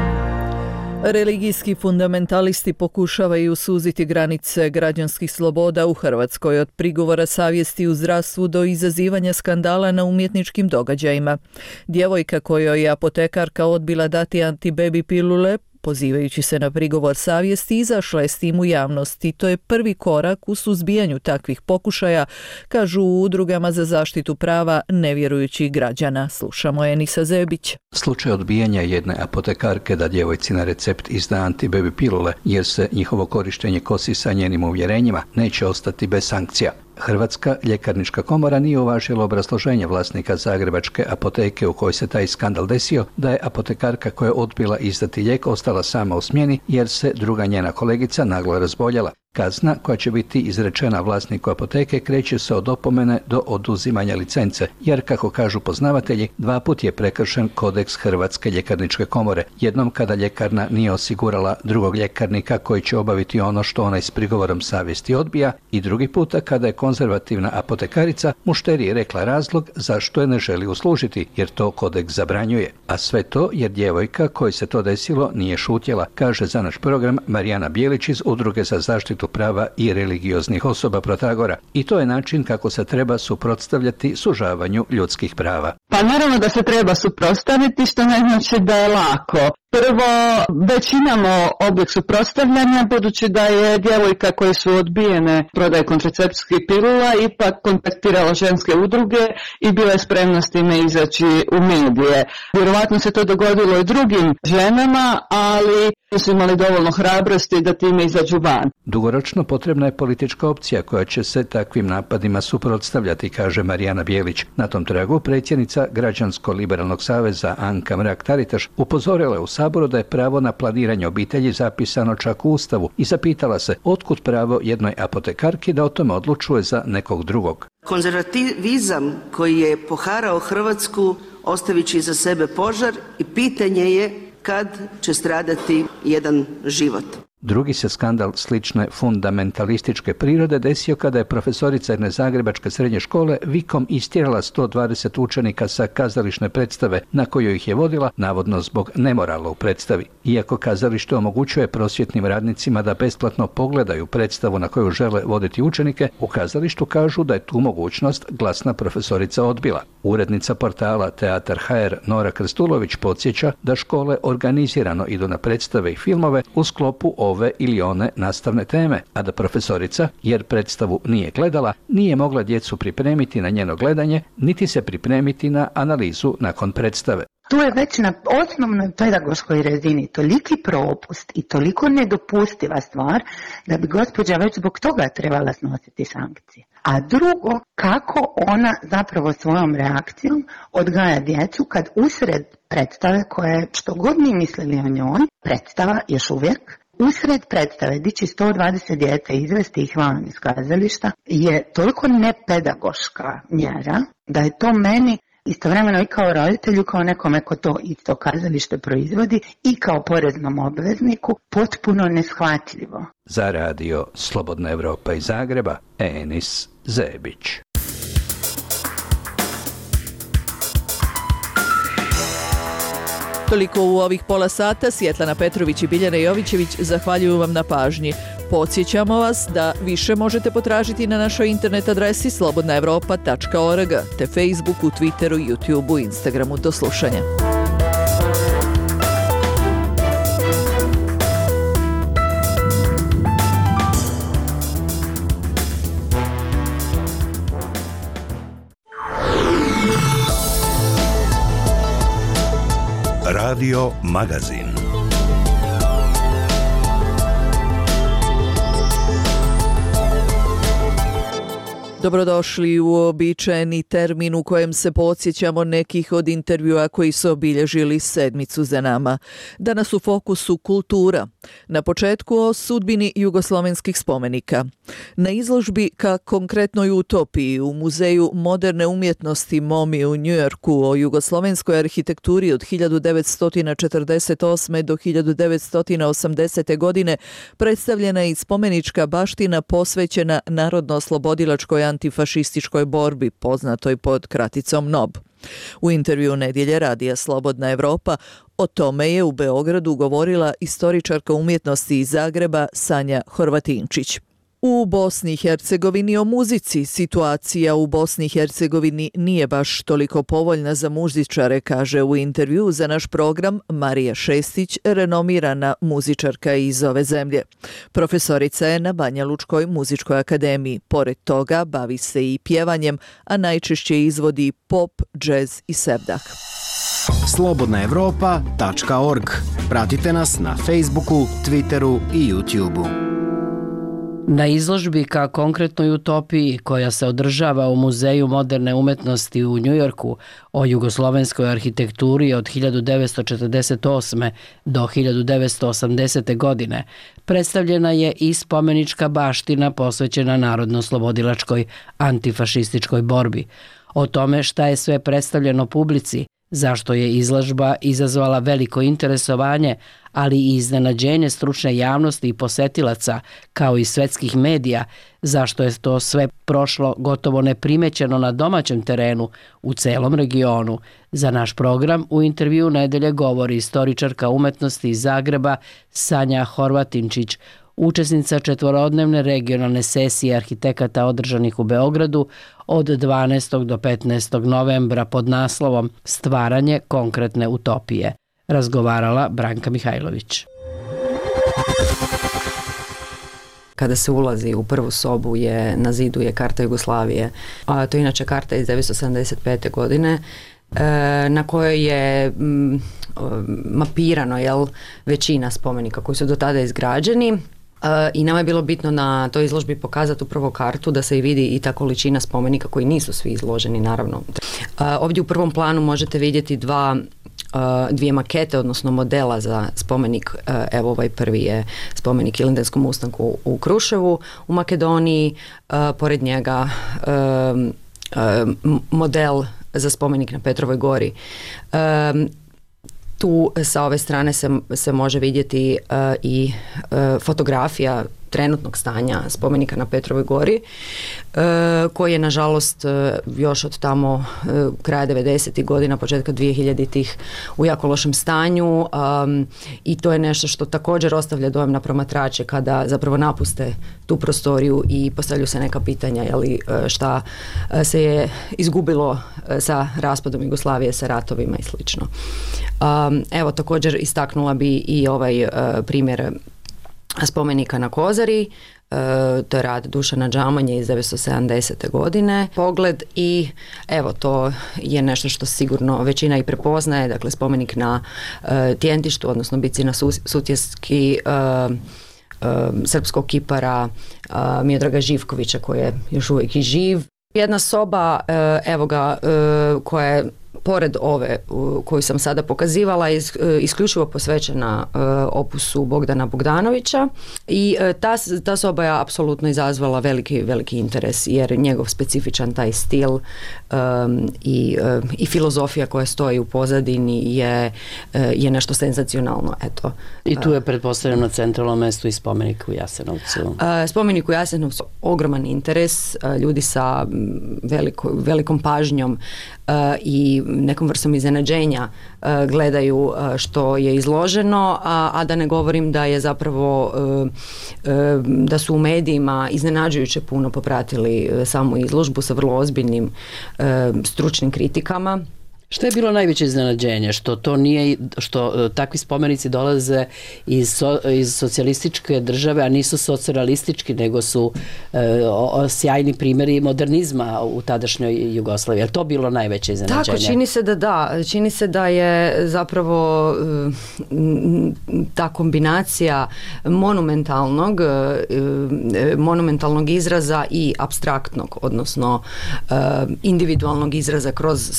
Religijski fundamentalisti pokušavaju suziti granice građanskih sloboda u Hrvatskoj, od prigovora savjesti u zdravstvu do izazivanja skandala na umjetničkim događajima. Djevojka kojoj je apotekarka odbila dati antibebi pilule, pozivajući se na prigovor savjesti, izašla je s tim u javnosti. To je prvi korak u suzbijanju takvih pokušaja, kažu u udrugama za zaštitu prava nevjerujućih građana. Slušamo Enisa Zebić. Slučaj odbijanja jedne apotekarke da djevojci na recept izda antibebi pilule jer se njihovo korištenje kosi sa njenim uvjerenjima neće ostati bez sankcija. Hrvatska ljekarnička komora nije uvažila obrazloženje vlasnika zagrebačke apoteke u kojoj se taj skandal desio, da je apotekarka koja je odbila izdati lijek ostala sama u smjeni jer se druga njena kolegica naglo razboljela. Kazna koja će biti izrečena vlasniku apoteke kreće se od opomene do oduzimanja licence, jer kako kažu poznavatelji, 2 puta je prekršen kodeks Hrvatske ljekarničke komore. Jednom kada ljekarna nije osigurala drugog ljekarnika koji će obaviti ono što onaj s prigovorom savjesti odbija, i drugi puta kada je konzervativna apotekarica mušteriji rekla razlog zašto je ne želi uslužiti, jer to kodeks zabranjuje. A sve to jer djevojka kojoj se to desilo nije šutjela, kaže za naš program Marijana Bijelić iz Udruge za zaštitu prava i religioznih osoba Protagora. I to je način kako se treba suprotstavljati sužavanju ljudskih prava. Pa naravno da se treba suprotstaviti, što ne znači da je lako. Prvo, već imamo oblik suprotstavljanja, budući da je djevojka koje su odbijene prodaje kontracepcijskih pilula ipak kontaktirala ženske udruge i bila je spremna s time izaći u medije. Vjerovatno se to dogodilo i drugim ženama, ali nisu imali dovoljno hrabrosti da time izađu van. Dugoročno potrebna je politička opcija koja će se takvim napadima suprotstavljati, kaže Marijana Bijelić. Na tom tragu predsjednica Građansko-liberalnog saveza Anka Mrak-Taritaš upozorila je u Saboru da je pravo na planiranje obitelji zapisano čak u Ustavu i zapitala se otkud pravo jednoj apotekarki da o tome odlučuje za nekog drugog. Konzervativizam koji je poharao Hrvatsku ostavit će iza sebe požar i pitanje je kad će stradati jedan život. Drugi se skandal slične fundamentalističke prirode desio kada je profesorica jedne zagrebačke srednje škole vikom istjerala 120 učenika sa kazališne predstave na koju ih je vodila, navodno zbog nemorala u predstavi. Iako kazalište omogućuje prosvjetnim radnicima da besplatno pogledaju predstavu na koju žele voditi učenike, u kazalištu kažu da je tu mogućnost glasna profesorica odbila. Urednica portala Teatar HR Nora Krstulović podsjeća da škole organizirano idu na predstave i filmove u sklopu ove ili one nastavne teme, a da profesorica, jer predstavu nije gledala, nije mogla djecu pripremiti na njeno gledanje, niti se pripremiti na analizu nakon predstave. Tu je već na osnovnoj pedagoškoj razini toliki propust i toliko nedopustiva stvar da bi gospođa već zbog toga trebala snositi sankcije. A drugo, kako ona zapravo svojom reakcijom odgaja djecu kad usred predstave koje, što god mi mislili o njoj, predstava još uvijek, usred predstave dići 120 djece i izvesti ih van iz kazališta je toliko nepedagoška mjera da je to meni istovremeno i kao roditelju, kao nekome ko to isto kazalište proizvodi i kao poreznom obvezniku potpuno neshvatljivo. Za radio Slobodna Evropa iz Zagreba, Enis Zebić. Toliko u ovih pola sata. Svjetlana Petrović i Biljana Jovićević zahvaljuju vam na pažnji. Podsjećamo vas da više možete potražiti na našoj internet adresi slobodnaevropa.org te Facebooku, Twitteru, YouTubeu, Instagramu. Do slušanja. Radio Magazin. Dobrodošli u uobičajeni termin u kojem se podsjećamo nekih od intervjua koji su obilježili sedmicu za nama. Danas u fokusu kultura. Na početku o sudbini jugoslovenskih spomenika. Na izložbi Ka konkretnoj utopiji u Muzeju moderne umjetnosti MoMI u Njujorku o jugoslovenskoj arhitekturi od 1948. do 1980. godine predstavljena je i spomenička baština posvećena narodno-oslobodilačkoj antifašističkoj borbi, poznatoj pod kraticom NOB. U intervju Nedjelje radija Slobodna Evropa o tome je u Beogradu govorila istoričarka umjetnosti iz Zagreba Sanja Horvatinčić. U Bosni i Hercegovini o muzici. Situacija u Bosni i Hercegovini nije baš toliko povoljna za muzičare, kaže u intervju za naš program Marija Šestić, renomirana muzičarka iz ove zemlje. Profesorica je na Banja Lučkoj muzičkoj akademiji. Pored toga bavi se i pjevanjem, a najčešće izvodi pop, džez i sevdah. Slobodnaevropa.org. Pratite nas na Facebooku, Twitteru i YouTubeu. Na izložbi Ka konkretnoj utopiji koja se održava u Muzeju moderne umetnosti u Njujorku o jugoslovenskoj arhitekturi od 1948. do 1980. godine predstavljena je i spomenička baština posvećena narodno-oslobodilačkoj antifašističkoj borbi. O tome šta je sve predstavljeno publici, zašto je izložba izazvala veliko interesovanje, ali i iznenađenje stručne javnosti i posetilaca, kao i svetskih medija, zašto je to sve prošlo gotovo neprimećeno na domaćem terenu u celom regionu. Za naš program u intervju Nedelje govori istoričarka umetnosti iz Zagreba Sanja Horvatinčić, učesnica četvorodnevne regionalne sesije arhitekata održanih u Beogradu od 12. do 15. novembra pod naslovom Stvaranje konkretne utopije. Razgovarala Branka Mihajlović. Kada se ulazi u prvu sobu na zidu je karta Jugoslavije. To je inače karta iz 1975. godine na kojoj je mapirano većina spomenika koji su do tada izgrađeni. I nama je bilo bitno na toj izložbi pokazati upravo kartu da se i vidi i ta količina spomenika koji nisu svi izloženi, naravno. Ovdje u prvom planu možete vidjeti dvije makete, odnosno modela za spomenik. Evo ovaj prvi je spomenik Ilindenskom ustanku u Kruševu u Makedoniji, pored njega model za spomenik na Petrovoj gori. Tu sa ove strane se može vidjeti i fotografija trenutnog stanja spomenika na Petrovoj gori, koji je nažalost još od tamo kraja 90. godina, početka 2000-ih u jako lošem stanju, i to je nešto što također ostavlja dojam na promatrače kada zapravo napuste tu prostoriju i postavljaju se neka pitanja, šta se je izgubilo sa raspadom Jugoslavije, sa ratovima i slično. Evo, također istaknula bi i ovaj primjer spomenika na Kozari, to je rad Dušana Džamanje iz 1970. godine. Pogled i evo, to je nešto što sigurno većina i prepoznaje, dakle spomenik na Tjentištu, odnosno bici na Sutjeski srpskog kipara Miodraga Živkovića, koji je još uvijek i živ. Jedna soba, evo ga, koja je pored ove koju sam sada pokazivala, isključivo posvećena opusu Bogdana Bogdanovića, i ta soba je apsolutno izazvala veliki interes, jer njegov specifičan taj stil i filozofija koja stoji u pozadini je nešto senzacionalno. Eto. I tu je pretpostavljeno na centralnom mjestu i spomenik u Jasenovcu. Spomenik u Jasenovcu, ogroman interes, ljudi sa velikom pažnjom i nekom vrstom iznenađenja gledaju što je izloženo, a da ne govorim da je zapravo da su u medijima iznenađujuće puno popratili samu izložbu sa vrlo ozbiljnim stručnim kritikama. Što je bilo najveće iznenađenje? Što to nije, što takvi spomenici dolaze iz socijalističke države, a nisu socijalistički, nego su sjajni primjeri modernizma u tadašnjoj Jugoslaviji. Je li to bilo najveće iznenađenje? Tako, čini se da je zapravo ta kombinacija monumentalnog izraza i apstraktnog, odnosno individualnog izraza kroz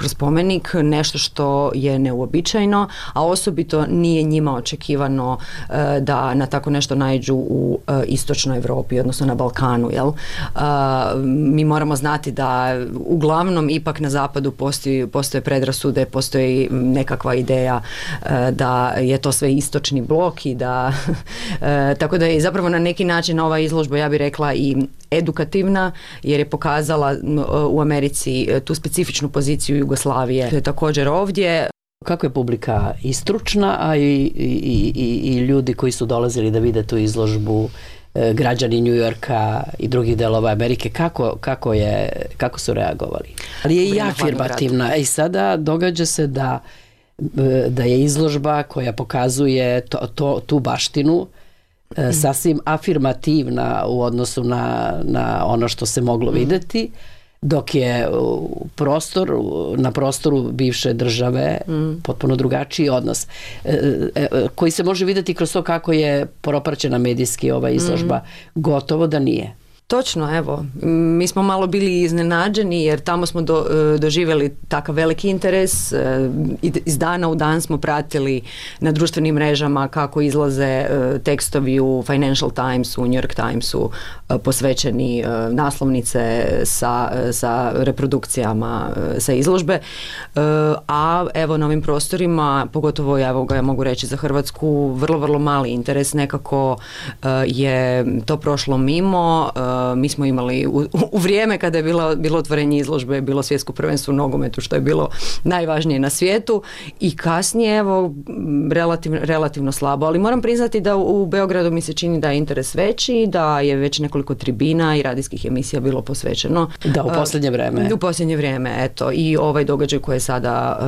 spomenik, nešto što je neuobičajeno, a osobito nije njima očekivano da na tako nešto naiđu u istočnoj Europi, odnosno na Balkanu. Jel? Mi moramo znati da uglavnom ipak na zapadu postoje predrasude, postoji nekakva ideja da je to sve istočni blok i da tako da je zapravo na neki način ova izložba, ja bih rekla, i edukativna, jer je pokazala u Americi tu specifičnu poziciju Jugoslavije. To je također ovdje. Kako je publika i stručna, a i ljudi koji su dolazili da vide tu izložbu, građani New Yorka i drugih delova Amerike, kako su reagovali? Ali je i afirmativna. I sada događa se da je izložba koja pokazuje tu baštinu sasvim afirmativna u odnosu na ono što se moglo vidjeti, dok je na prostoru bivše države potpuno drugačiji odnos, koji se može vidjeti kroz to kako je propraćena medijski ova izložba. Gotovo da nije. Točno, evo, mi smo malo bili iznenađeni jer tamo smo doživjeli takav veliki interes, iz dana u dan smo pratili na društvenim mrežama kako izlaze tekstovi u Financial Timesu, u New York Timesu, posvećeni naslovnice sa reprodukcijama sa izložbe, a evo na ovim prostorima, pogotovo ja mogu reći za Hrvatsku, vrlo, vrlo mali interes, nekako je to prošlo mimo. Mi smo imali u vrijeme kada je bilo otvorenje izložbe, bilo svjetsko prvenstvo u nogometu, što je bilo najvažnije na svijetu, i kasnije evo relativno slabo, ali moram priznati da u Beogradu mi se čini da je interes veći, da je već nekoliko tribina i radijskih emisija bilo posvećeno. Da, u posljednje vrijeme. U posljednje vrijeme, eto, i ovaj događaj koji je sada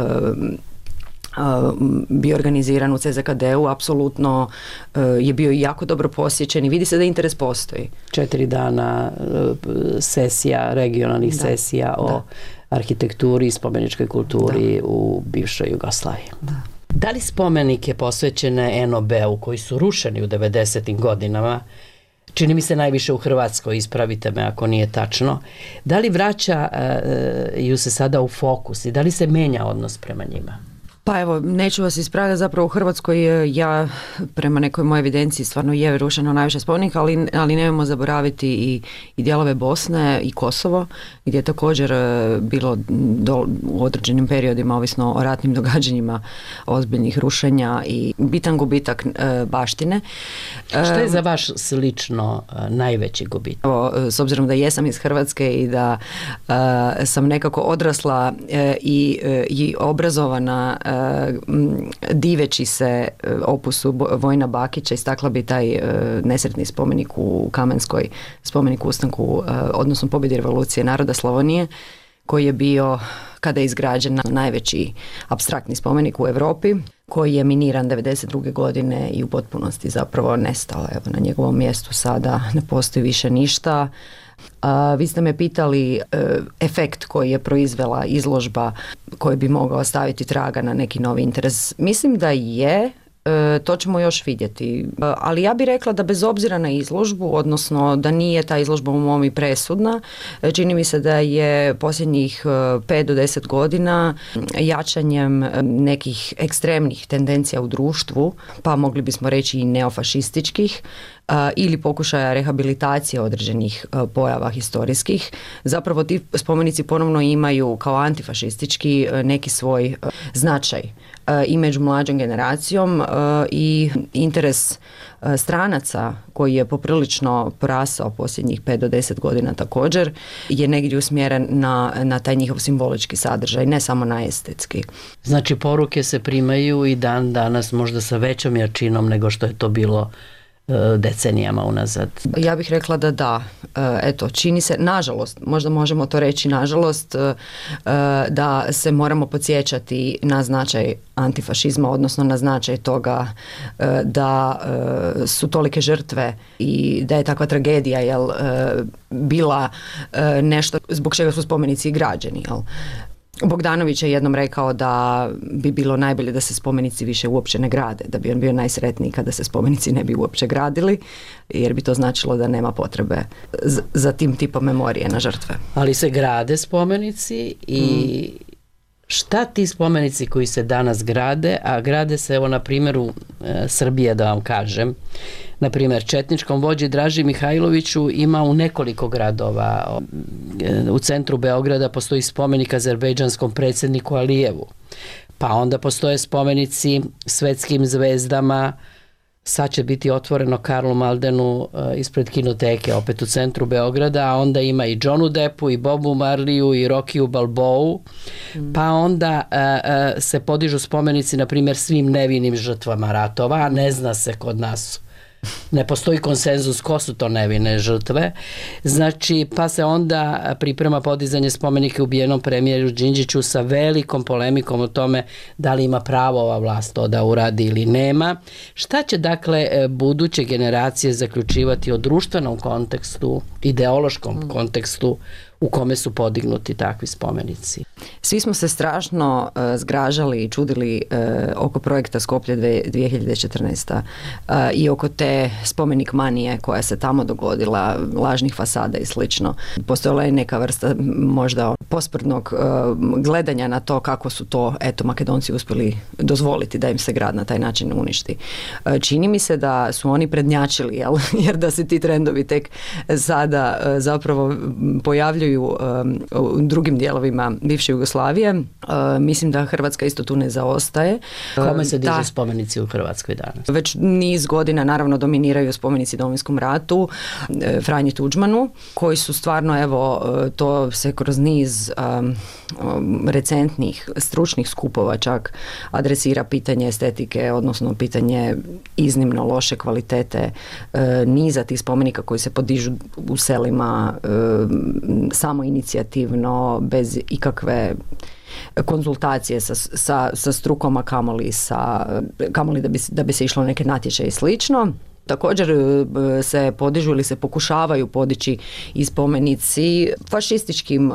bio organiziran u CZKD-u, apsolutno je bio jako dobro posjećen i vidi se da interes postoji. 4 dana sesija, regionalnih sesija o arhitekturi i spomeničkoj kulturi u bivšoj Jugoslaviji. Da li spomenike posvećene NOB-u koji su rušeni u 90. godinama, čini mi se najviše u Hrvatskoj, ispravite me ako nije tačno, da li vraćaju se sada u fokus i da li se menja odnos prema njima? Pa evo, neću vas ispravljati, zapravo u Hrvatskoj ja prema nekoj mojoj evidenciji stvarno je rušeno najviše spomenika, ali nemojmo zaboraviti i dijelove Bosne i Kosovo, gdje je također bilo u određenim periodima, ovisno o ratnim događanjima, ozbiljnih rušenja i bitan gubitak baštine. Što je za vaš slično najveći gubitak? S obzirom da jesam iz Hrvatske i da sam nekako odrasla i obrazovana diveći se opusu Vojina Bakića, istakla bi taj nesretni spomenik u Kamenskoj, spomenik ustanku, odnosno pobjedi revolucije naroda Slavonije, koji je bio, kada je izgrađen, najveći apstraktni spomenik u Europi, koji je miniran 92. godine i u potpunosti zapravo nestao. Evo, na njegovom mjestu sada ne postoji više ništa. Vi ste me pitali efekt koji je proizvela izložba koji bi mogao staviti traga na neki novi interes. Mislim da je, to ćemo još vidjeti. Ali ja bih rekla da bez obzira na izložbu, odnosno da nije ta izložba u mom i presudna, čini mi se da je posljednjih 5 do 10 godina jačanjem nekih ekstremnih tendencija u društvu, pa mogli bismo reći i neofašističkih, ili pokušaja rehabilitacije određenih pojava historijskih, zapravo ti spomenici ponovno imaju kao antifašistički neki svoj značaj i među mlađom generacijom i interes stranaca koji je poprilično porasao posljednjih 5 do 10 godina također je negdje usmjeren na taj njihov simbolički sadržaj, ne samo na estetski. Znači poruke se primaju i dan danas možda sa većom jačinom nego što je to bilo decenijama unazad. Ja bih rekla da da. Eto, čini se, nažalost, možda možemo to reći nažalost, da se moramo podsjećati na značaj antifašizma, odnosno na značaj toga da su tolike žrtve i da je takva tragedija bila nešto zbog čega su spomenici i građeni. Bogdanović je jednom rekao da bi bilo najbolje da se spomenici više uopće ne grade, da bi on bio najsretniji kada se spomenici ne bi uopće gradili, jer bi to značilo da nema potrebe za tim tipom memorije na žrtve. Ali se grade spomenici i šta ti spomenici koji se danas grade, a grade se evo na primjeru Srbije da vam kažem, na primjer četničkom vođi Draži Mihajloviću ima u nekoliko gradova. U centru Beograda postoji spomenik azerbejdžanskom predsjedniku Alijevu, pa onda postoje spomenici svetskim zvezdama. Sad će biti otvoreno Karlu Maldenu ispred kinoteke, opet u centru Beograda, a onda ima i Johnu Deppu, i Bobu Marliju, i Rockiju Balboou, pa onda se podižu spomenici, na primjer, svim nevinim žrtvama ratova, a ne zna se kod nas. Ne postoji konsenzus ko su to nevine žrtve. Znači, pa se onda priprema podizanje spomenika ubijenom premijeru Đinđiću sa velikom polemikom o tome da li ima pravo ova vlast to da uradi ili nema. Šta će dakle buduće generacije zaključivati o društvenom kontekstu, ideološkom kontekstu u kome su podignuti takvi spomenici? Svi smo se strašno zgražali i čudili oko projekta Skoplje 2014. I oko te spomenik manije koja se tamo dogodila, lažnih fasada i slično. Postojala je neka vrsta možda posprdnog gledanja na to kako su to Makedonci uspjeli dozvoliti da im se grad na taj način uništi. Čini mi se da su oni prednjačili, jer da se ti trendovi tek sada zapravo pojavljuju u drugim dijelovima bivše Jugoslavije. Mislim da Hrvatska isto tu ne zaostaje. Kome se dižu spomenici u Hrvatskoj danas? Već niz godina naravno dominiraju spomenici Domovinskom ratu, Franji Tuđmanu, koji su stvarno, to se kroz niz recentnih stručnih skupova čak adresira pitanje estetike, odnosno pitanje iznimno loše kvalitete niza tih spomenika koji se podižu u selima samo inicijativno, bez ikakve konzultacije sa strukom, a kamoli da bi se išlo neke natječaje i slično. Također se podižu ili se pokušavaju podići i spomenici fašističkim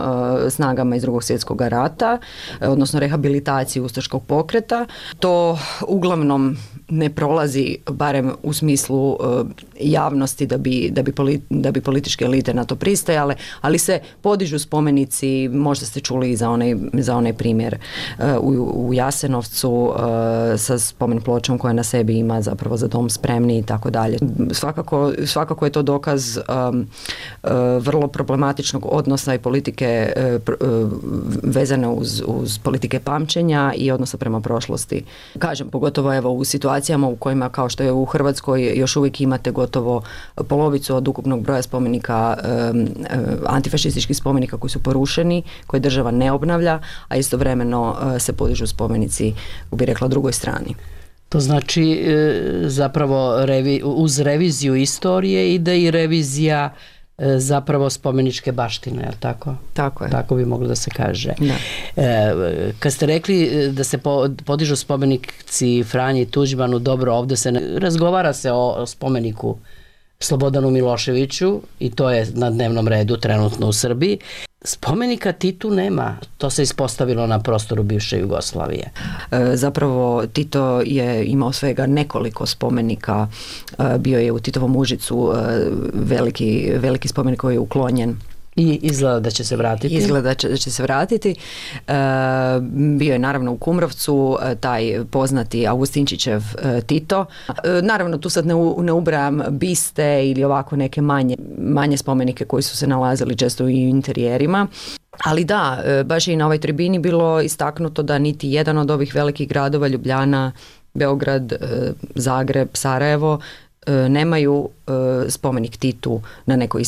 snagama iz Drugog svjetskog rata, odnosno rehabilitaciji ustaškog pokreta. To uglavnom ne prolazi, barem u smislu javnosti, da bi političke elite na to pristajale, ali se podižu spomenici, možda ste čuli i za onaj primjer u Jasenovcu sa spomen pločom koja na sebi ima zapravo Za dom spremni i tako dalje. Svakako je to dokaz vrlo problematičnog odnosa i politike vezane uz politike pamćenja i odnosa prema prošlosti. Kažem, pogotovo u situacijama u kojima, kao što je u Hrvatskoj, još uvijek imate gotovo polovicu od ukupnog broja spomenika, antifašističkih spomenika koji su porušeni, koje država ne obnavlja, a istovremeno se podižu spomenici, bi rekla, drugoj strani. To znači zapravo uz reviziju istorije ide i revizija zapravo spomeničke baštine, je li tako? Tako je. Tako bi moglo da se kaže. Da. Kad ste rekli da se podižu spomenici Franji Tuđmanu, dobro, ovdje razgovara se o spomeniku Slobodanu Miloševiću i to je na dnevnom redu trenutno u Srbiji. Spomenika Titu nema, to se ispostavilo na prostoru bivše Jugoslavije. Zapravo Tito je imao svega nekoliko spomenika, bio je u Titovom Užicu veliki spomenik koji je uklonjen I izgleda da će se vratiti. Izgleda da će se vratiti. Bio je naravno u Kumrovcu taj poznati Augustinčićev Tito. Naravno tu sad ne ubrajam biste ili ovako neke manje spomenike koji su se nalazili često i u interijerima. Ali da, baš je i na ovoj tribini bilo istaknuto da niti jedan od ovih velikih gradova, Ljubljana, Beograd, Zagreb, Sarajevo, nemaju spomenik Titu na nekoj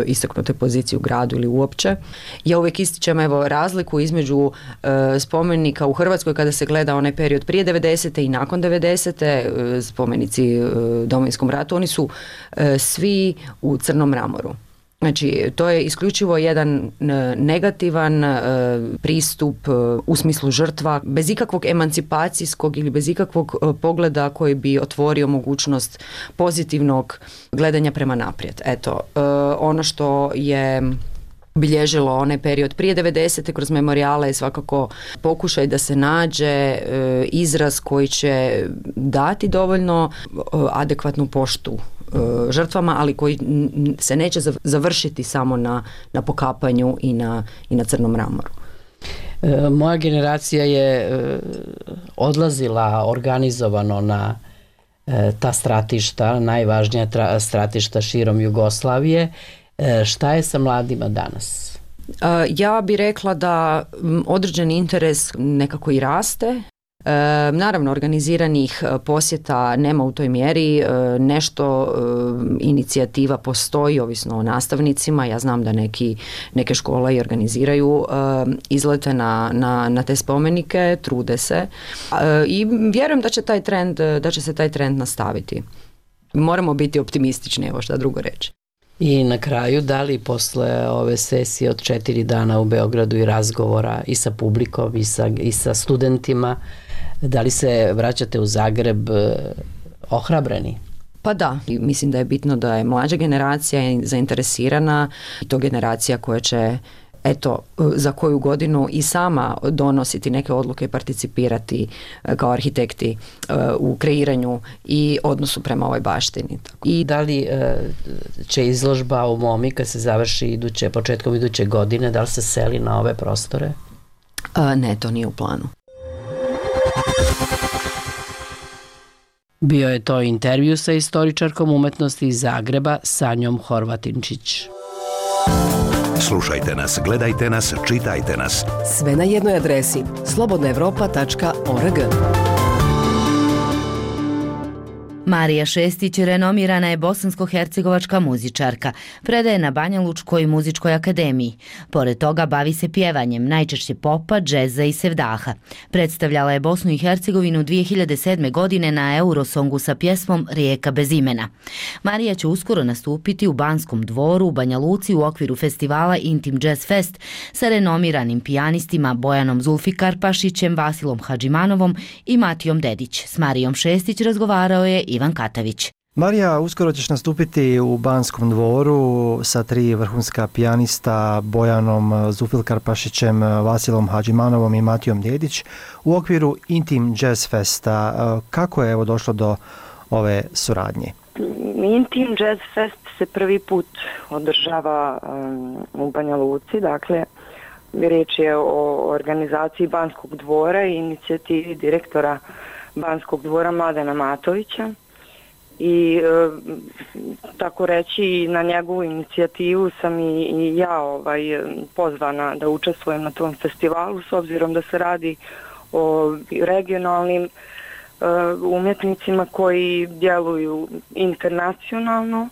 istaknutoj poziciji u gradu ili uopće. Ja uvijek ističem razliku između spomenika u Hrvatskoj kada se gleda onaj period prije 90. i nakon 90. Spomenici Domovinskom ratu, oni su svi u crnom mramoru. Znači, to je isključivo jedan negativan pristup u smislu žrtva, bez ikakvog emancipacijskog ili bez ikakvog pogleda koji bi otvorio mogućnost pozitivnog gledanja prema naprijed. Eto, ono što je bilježilo onaj period prije 90. kroz memorijale je svakako pokušaj da se nađe izraz koji će dati dovoljno adekvatnu poštu žrtvama, ali koji se neće završiti samo na pokapanju i na crnom mramoru. Moja generacija je odlazila organizovano na ta stratišta, najvažnija stratišta širom Jugoslavije. Šta je sa mladima danas? Ja bih rekla da određeni interes nekako i raste. Naravno, organiziranih posjeta nema u toj mjeri, nešto inicijativa postoji, ovisno o nastavnicima. Ja znam da neke škole i organiziraju izlete na te spomenike, trude se i vjerujem da će se taj trend nastaviti. Moramo biti optimistični, evo šta drugo reći. I na kraju, da li posle ove sesije od 4 dana u Beogradu i razgovora i sa publikom i sa studentima, da li se vraćate u Zagreb ohrabreni? Pa da, mislim da je bitno da je mlađa generacija zainteresirana i to generacija koja će za koju godinu i sama donositi neke odluke i participirati kao arhitekti u kreiranju i odnosu prema ovoj baštini. I da li će izložba u MOMI kad se završi početkom iduće godine, da li se seli na ove prostore? Ne, to nije u planu. Bio je to intervju sa istoričarkom umetnosti iz Zagreba Sanjom Horvatinčić. Slušajte nas, gledajte nas, čitajte nas. Sve na jednoj adresi slobodnaevropa.org. Marija Šestić renomirana je bosansko-hercegovačka muzičarka. Predaje na Banjalučkoj muzičkoj akademiji. Pored toga bavi se pjevanjem, najčešće popa, džeza i sevdaha. Predstavljala je Bosnu i Hercegovinu 2007. godine na Eurosongu sa pjesmom Rijeka bez imena. Marija će uskoro nastupiti u Banskom dvoru u Banja Luci u okviru festivala Intim Jazz Fest sa renomiranim pijanistima Bojanom Zulfikarpašićem, Vasilom Hadžimanovom i Matijom Dedić. S Marijom Šestić razgovarao je Ivan Katavić. Marija, uskoro ćeš nastupiti u Banskom dvoru sa 3 vrhunska pijanista Bojanom Zulfikarpašićem, Vasilom Hadžimanovom i Matijom Dedić u okviru Intim Jazz Festa. Kako je došlo do ove suradnje? Intim Jazz Fest se prvi put održava u Banja Luci, dakle riječ je o organizaciji Banskog dvora i inicijativi direktora Banskog dvora Mladena Matovića i tako reći na njegovu inicijativu sam i ja pozvana da učestvujem na tom festivalu s obzirom da se radi o regionalnim umjetnicima koji djeluju internacionalno,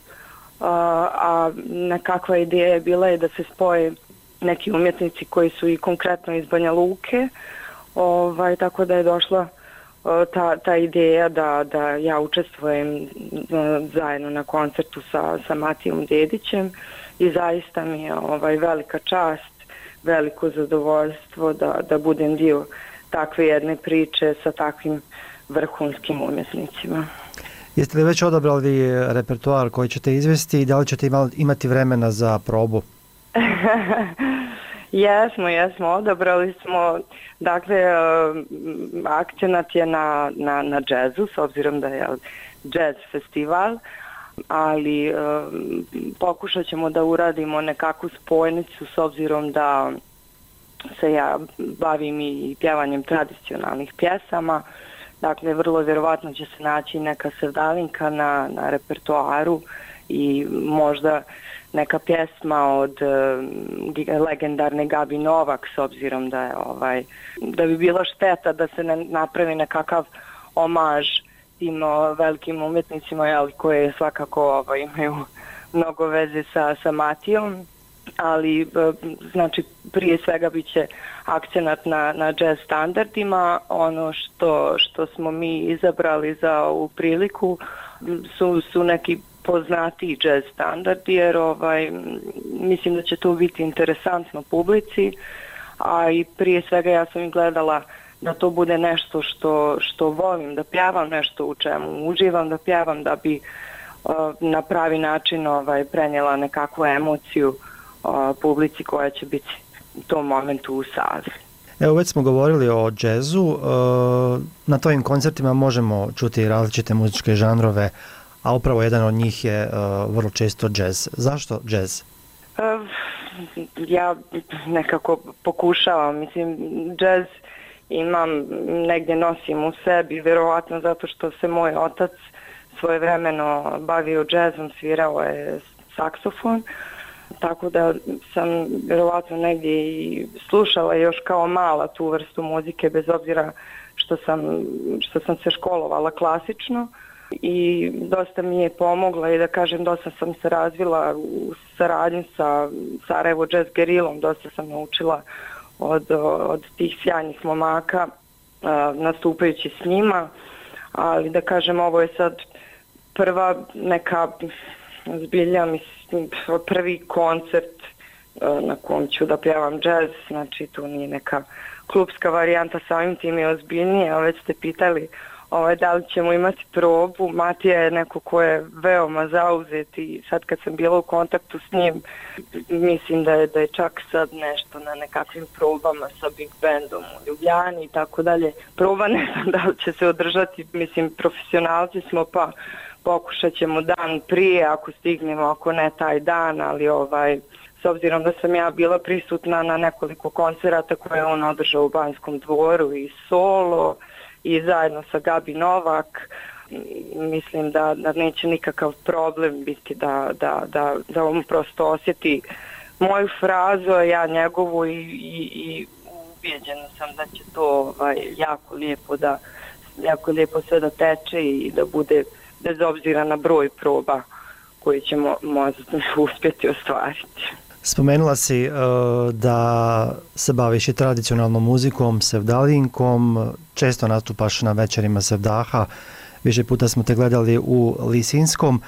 a nekakva ideja je bila da se spoje neki umjetnici koji su i konkretno iz Banja Luke, tako da je došla ta ideja da ja učestvujem zajedno na koncertu sa Matijom Dedićem i zaista mi je velika čast, veliko zadovoljstvo da budem dio takve jedne priče sa takvim vrhunskim umjetnicima. Jeste li već odabrali repertoar koji ćete izvesti i da li ćete imati vremena za probu? Jesmo, odabrali smo, dakle, akcenat je na džezu, s obzirom da je džez festival. ali pokušat ćemo da uradimo nekakvu spojnicu s obzirom da se ja bavim i pjevanjem tradicionalnih pjesama. Dakle, vrlo vjerovatno će se naći neka sevdalinka na repertoaru i možda neka pjesma od legendarne Gabi Novak, s obzirom da je da bi bila šteta da se ne napravi nekakav omaž tim velikim umjetnicima, koje svakako imaju mnogo veze sa Matijom, ali znači prije svega bit će akcenat na jazz standardima. Ono što smo mi izabrali za ovu priliku su neki poznatiji jazz standardi, jer mislim da će to biti interesantno publici, a i prije svega ja sam i gledala da to bude nešto što volim da pjevam, nešto u čemu uživam da pjevam, da bi na pravi način prenijela nekakvu emociju publici koja će biti u tom momentu u sali. Evo, već smo govorili o džezu. Na tvojim koncertima možemo čuti različite muzičke žanrove, a upravo jedan od njih je vrlo često džez. Zašto džez? Ja nekako pokušavam. Mislim, džez imam, negdje nosim u sebi, vjerovatno zato što se moj otac svojevremeno bavio džezom, svirao je saksofon, tako da sam vjerovatno negdje i slušala još kao mala tu vrstu muzike, bez obzira što sam se školovala klasično, i dosta mi je pomogla i da kažem dosta sam se razvila u saradnji sa Sarajevo Jazz Gerilom, dosta sam naučila od tih sjajnih momaka nastupajući s njima, ali da kažem ovo je sad prva neka zbilja, mislim, prvi koncert na kom ću da pjevam jazz, znači tu nije neka klubska varijanta, samim tim je ozbiljnije, a već ste pitali da li ćemo imati probu. Matija je neko ko je veoma zauzet i sad kad sam bila u kontaktu s njim, mislim da je čak sad nešto na nekakvim probama sa Big Bandom u Ljubljani i tako dalje. Proba ne znam da li će se održati, mislim, profesionalci smo, pa pokušat ćemo dan prije ako stignemo, ako ne taj dan, ali s obzirom da sam ja bila prisutna na nekoliko koncerata koje je on održao u Banskom dvoru i solo i zajedno sa Gabi Novak, mislim da neće nikakav problem biti da on prosto osjeti moju frazu, a ja njegovu, i ubijeđena sam da će to jako lijepo sve da teče i da bude bez obzira na broj proba koji ćemo možda uspjeti ostvariti. Spomenula si da se baviš i tradicionalnom muzikom, sevdalinkom, često nastupaš na večerima sevdaha, više puta smo te gledali u Lisinskom.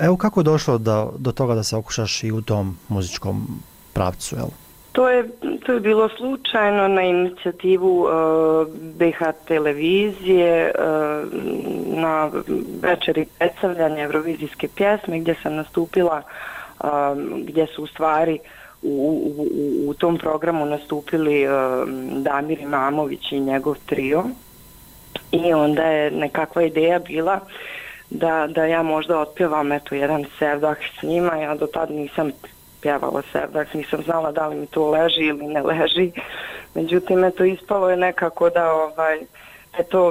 Evo, kako je došlo do toga da se okušaš i u tom muzičkom pravcu, jel? To je bilo slučajno na inicijativu BH televizije na večeri predstavljanja evrovizijske pjesme gdje sam nastupila, gdje su u stvari u tom programu nastupili Damir Imamović i njegov trio, i onda je nekakva ideja bila da ja možda otpjevam jedan sevdah s njima. Ja do tad nisam pjevala sevdah, nisam znala da li mi to leži ili ne leži, međutim ispalo je nekako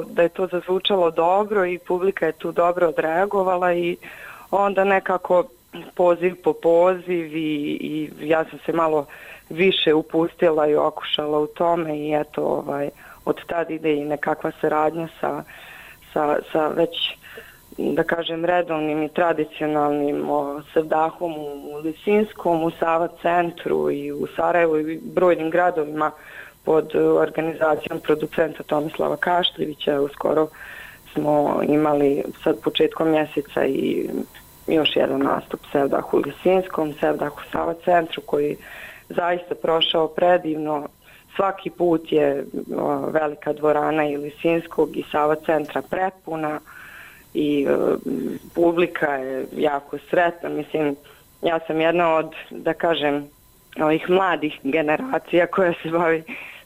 da je to zazvučalo dobro i publika je tu dobro odreagovala, i onda nekako poziv po poziv i ja sam se malo više upustila i okušala u tome, i od tad ide i nekakva saradnja sa već, da kažem, redovnim i tradicionalnim sevdahom u Lisinskom, u Sava centru i u Sarajevu i brojnim gradovima pod organizacijom producenta Tomislava Kašljevića. Uskoro smo imali sad početkom mjeseca i još jedan nastup sevdah u Lisinskom, sevdah u Sava centru, koji zaista prošao predivno. Svaki put je velika dvorana i Lisinskog i Sava centra prepuna i publika je jako sretna. Mislim, ja sam jedna od, da kažem, ovih mladih generacija koja se bavi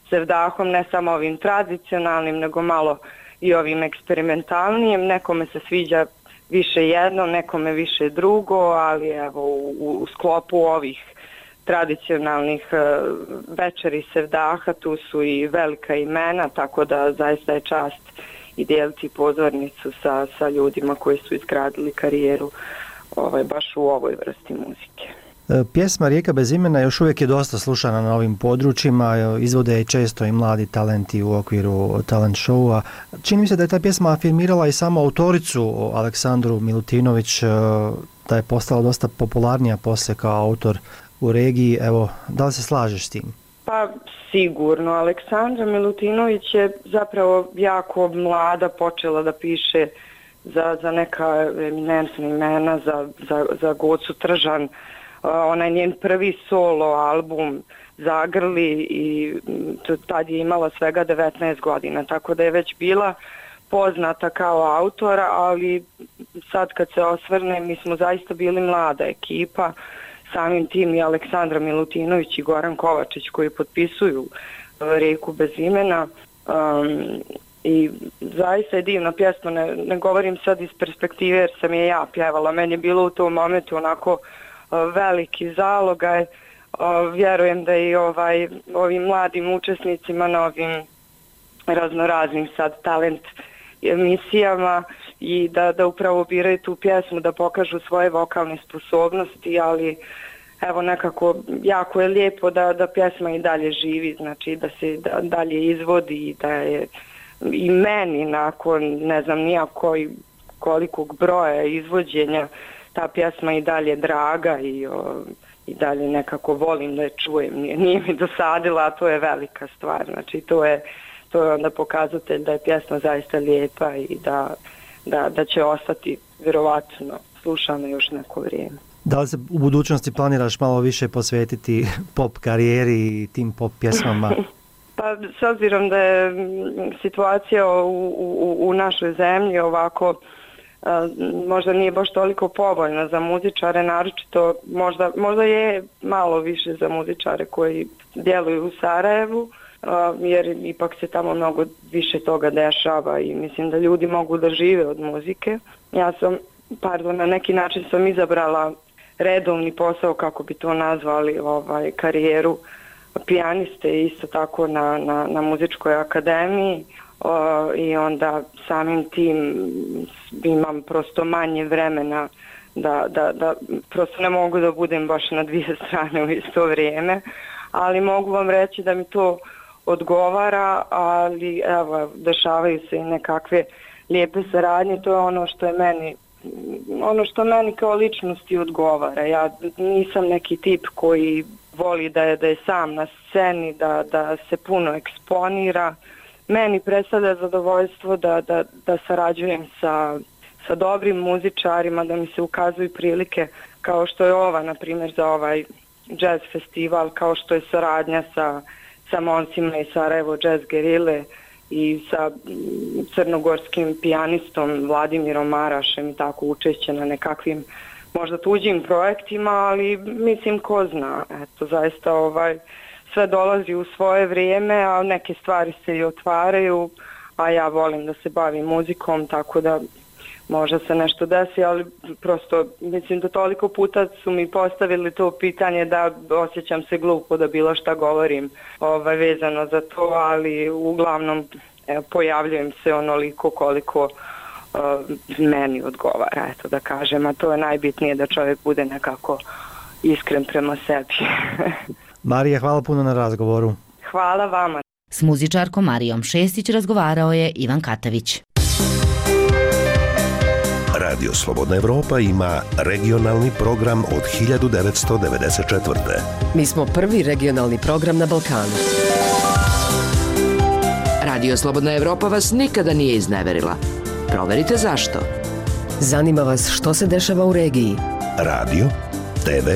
sevdahom, ne samo ovim tradicionalnim, nego malo i ovim eksperimentalnijim. Nekome se sviđa više jedno, nekome više drugo, ali evo u sklopu ovih tradicionalnih večeri sevdaha tu su i velika imena, tako da zaista je čast i dijeliti pozornicu sa ljudima koji su izgradili karijeru baš u ovoj vrsti muzike. Pjesma Rijeka bez imena još uvijek je dosta slušana na ovim područjima, izvode je često i mladi talenti u okviru talent showa. Čini mi se da je ta pjesma afirmirala i samu autoricu Aleksandru Milutinović, da je postala dosta popularnija poslije kao autor u regiji. Evo, da li se slažeš s tim? Pa sigurno. Aleksandra Milutinović je zapravo jako mlada počela da piše za neka eminentna imena, za Gocu Tržan. Onaj njen prvi solo album Zagrli i tad je imala svega 19 godina, tako da je već bila poznata kao autora, ali sad kad se osvrne, mi smo zaista bili mlada ekipa, samim tim i Aleksandra Milutinović i Goran Kovačić koji potpisuju Rijeku bez imena. I zaista je divna pjesma, ne govorim sad iz perspektive jer sam je ja pjevala, meni je bilo u tom momentu onako veliki zalogaj, vjerujem da i ovim mladim učesnicima na ovim raznoraznim sad talent emisijama i da upravo biraju tu pjesmu, da pokažu svoje vokalne sposobnosti, ali evo nekako jako je lijepo da pjesma i dalje živi, znači da se dalje izvodi i da je i meni nakon ne znam kolikog broja izvođenja ta pjesma i dalje draga i dalje nekako volim da je čujem, nije mi dosadila, a to je velika stvar, znači to je onda pokazatelj da je pjesma zaista lijepa i da će ostati vjerovatno slušana još neko vrijeme. Da li se u budućnosti planiraš malo više posvetiti pop karijeri i tim pop pjesmama? Pa s obzirom da je situacija u našoj zemlji ovako možda nije baš toliko povoljna za muzičare, naročito možda je malo više za muzičare koji djeluju u Sarajevu, jer ipak se tamo mnogo više toga dešava i mislim da ljudi mogu da žive od muzike. Ja sam, na neki način sam izabrala redovni posao, kako bi to nazvali, karijeru pijaniste isto tako na muzičkoj akademiji. I onda samim tim imam prosto manje vremena da prosto ne mogu da budem baš na dvije strane u isto vrijeme, ali mogu vam reći da mi to odgovara, ali evo, dešavaju se i nekakve lijepe saradnje, to je ono što meni kao ličnosti odgovara. Ja nisam neki tip koji voli da je sam na sceni, da se puno eksponira. Meni predstavlja zadovoljstvo da sarađujem sa dobrim muzičarima, da mi se ukazuju prilike kao što je ova, na primjer, za ovaj jazz festival, kao što je saradnja sa momcima iz Sarajevo Jazz Gerile i sa crnogorskim pijanistom Vladimirom Marašem i tako učešće na nekakvim možda tuđim projektima, ali mislim ko zna, eto zaista sve dolazi u svoje vrijeme, a neke stvari se i otvaraju, a ja volim da se bavim muzikom, tako da možda se nešto desi, ali prosto mislim da toliko puta su mi postavili to pitanje da osjećam se glupo da bilo šta govorim vezano za to, ali uglavnom pojavljujem se onoliko koliko meni odgovara, eto da kažem, a to je najbitnije da čovjek bude nekako iskren prema sebi. Marija, hvala puno na razgovoru. Hvala vama. S muzičarkom Marijom Šestić razgovarao je Ivan Katavić. Radio Slobodna Evropa ima regionalni program od 1994. Mi smo prvi regionalni program na Balkanu. Radio Slobodna Evropa vas nikada nije izneverila. Proverite zašto. Zanima vas što se dešava u regiji. Radio, TV,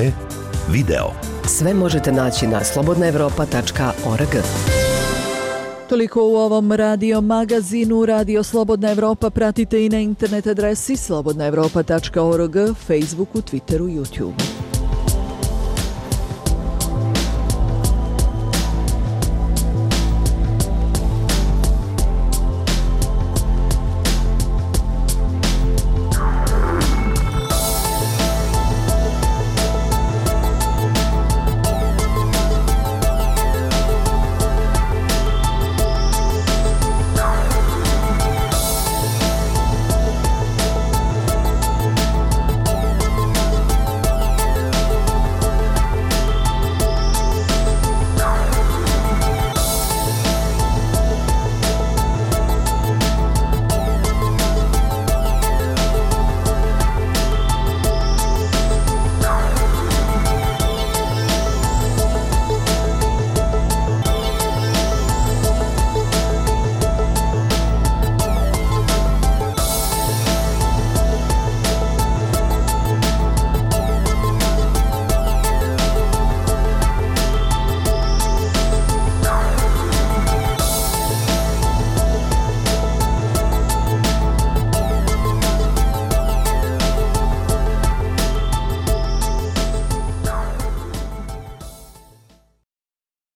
video. Sve možete naći na slobodnaevropa.org. Toliko u ovom radio magazinu. Radio Slobodna Evropa pratite i na internet adresi slobodnaevropa.org, Facebooku, Twitteru, YouTubeu.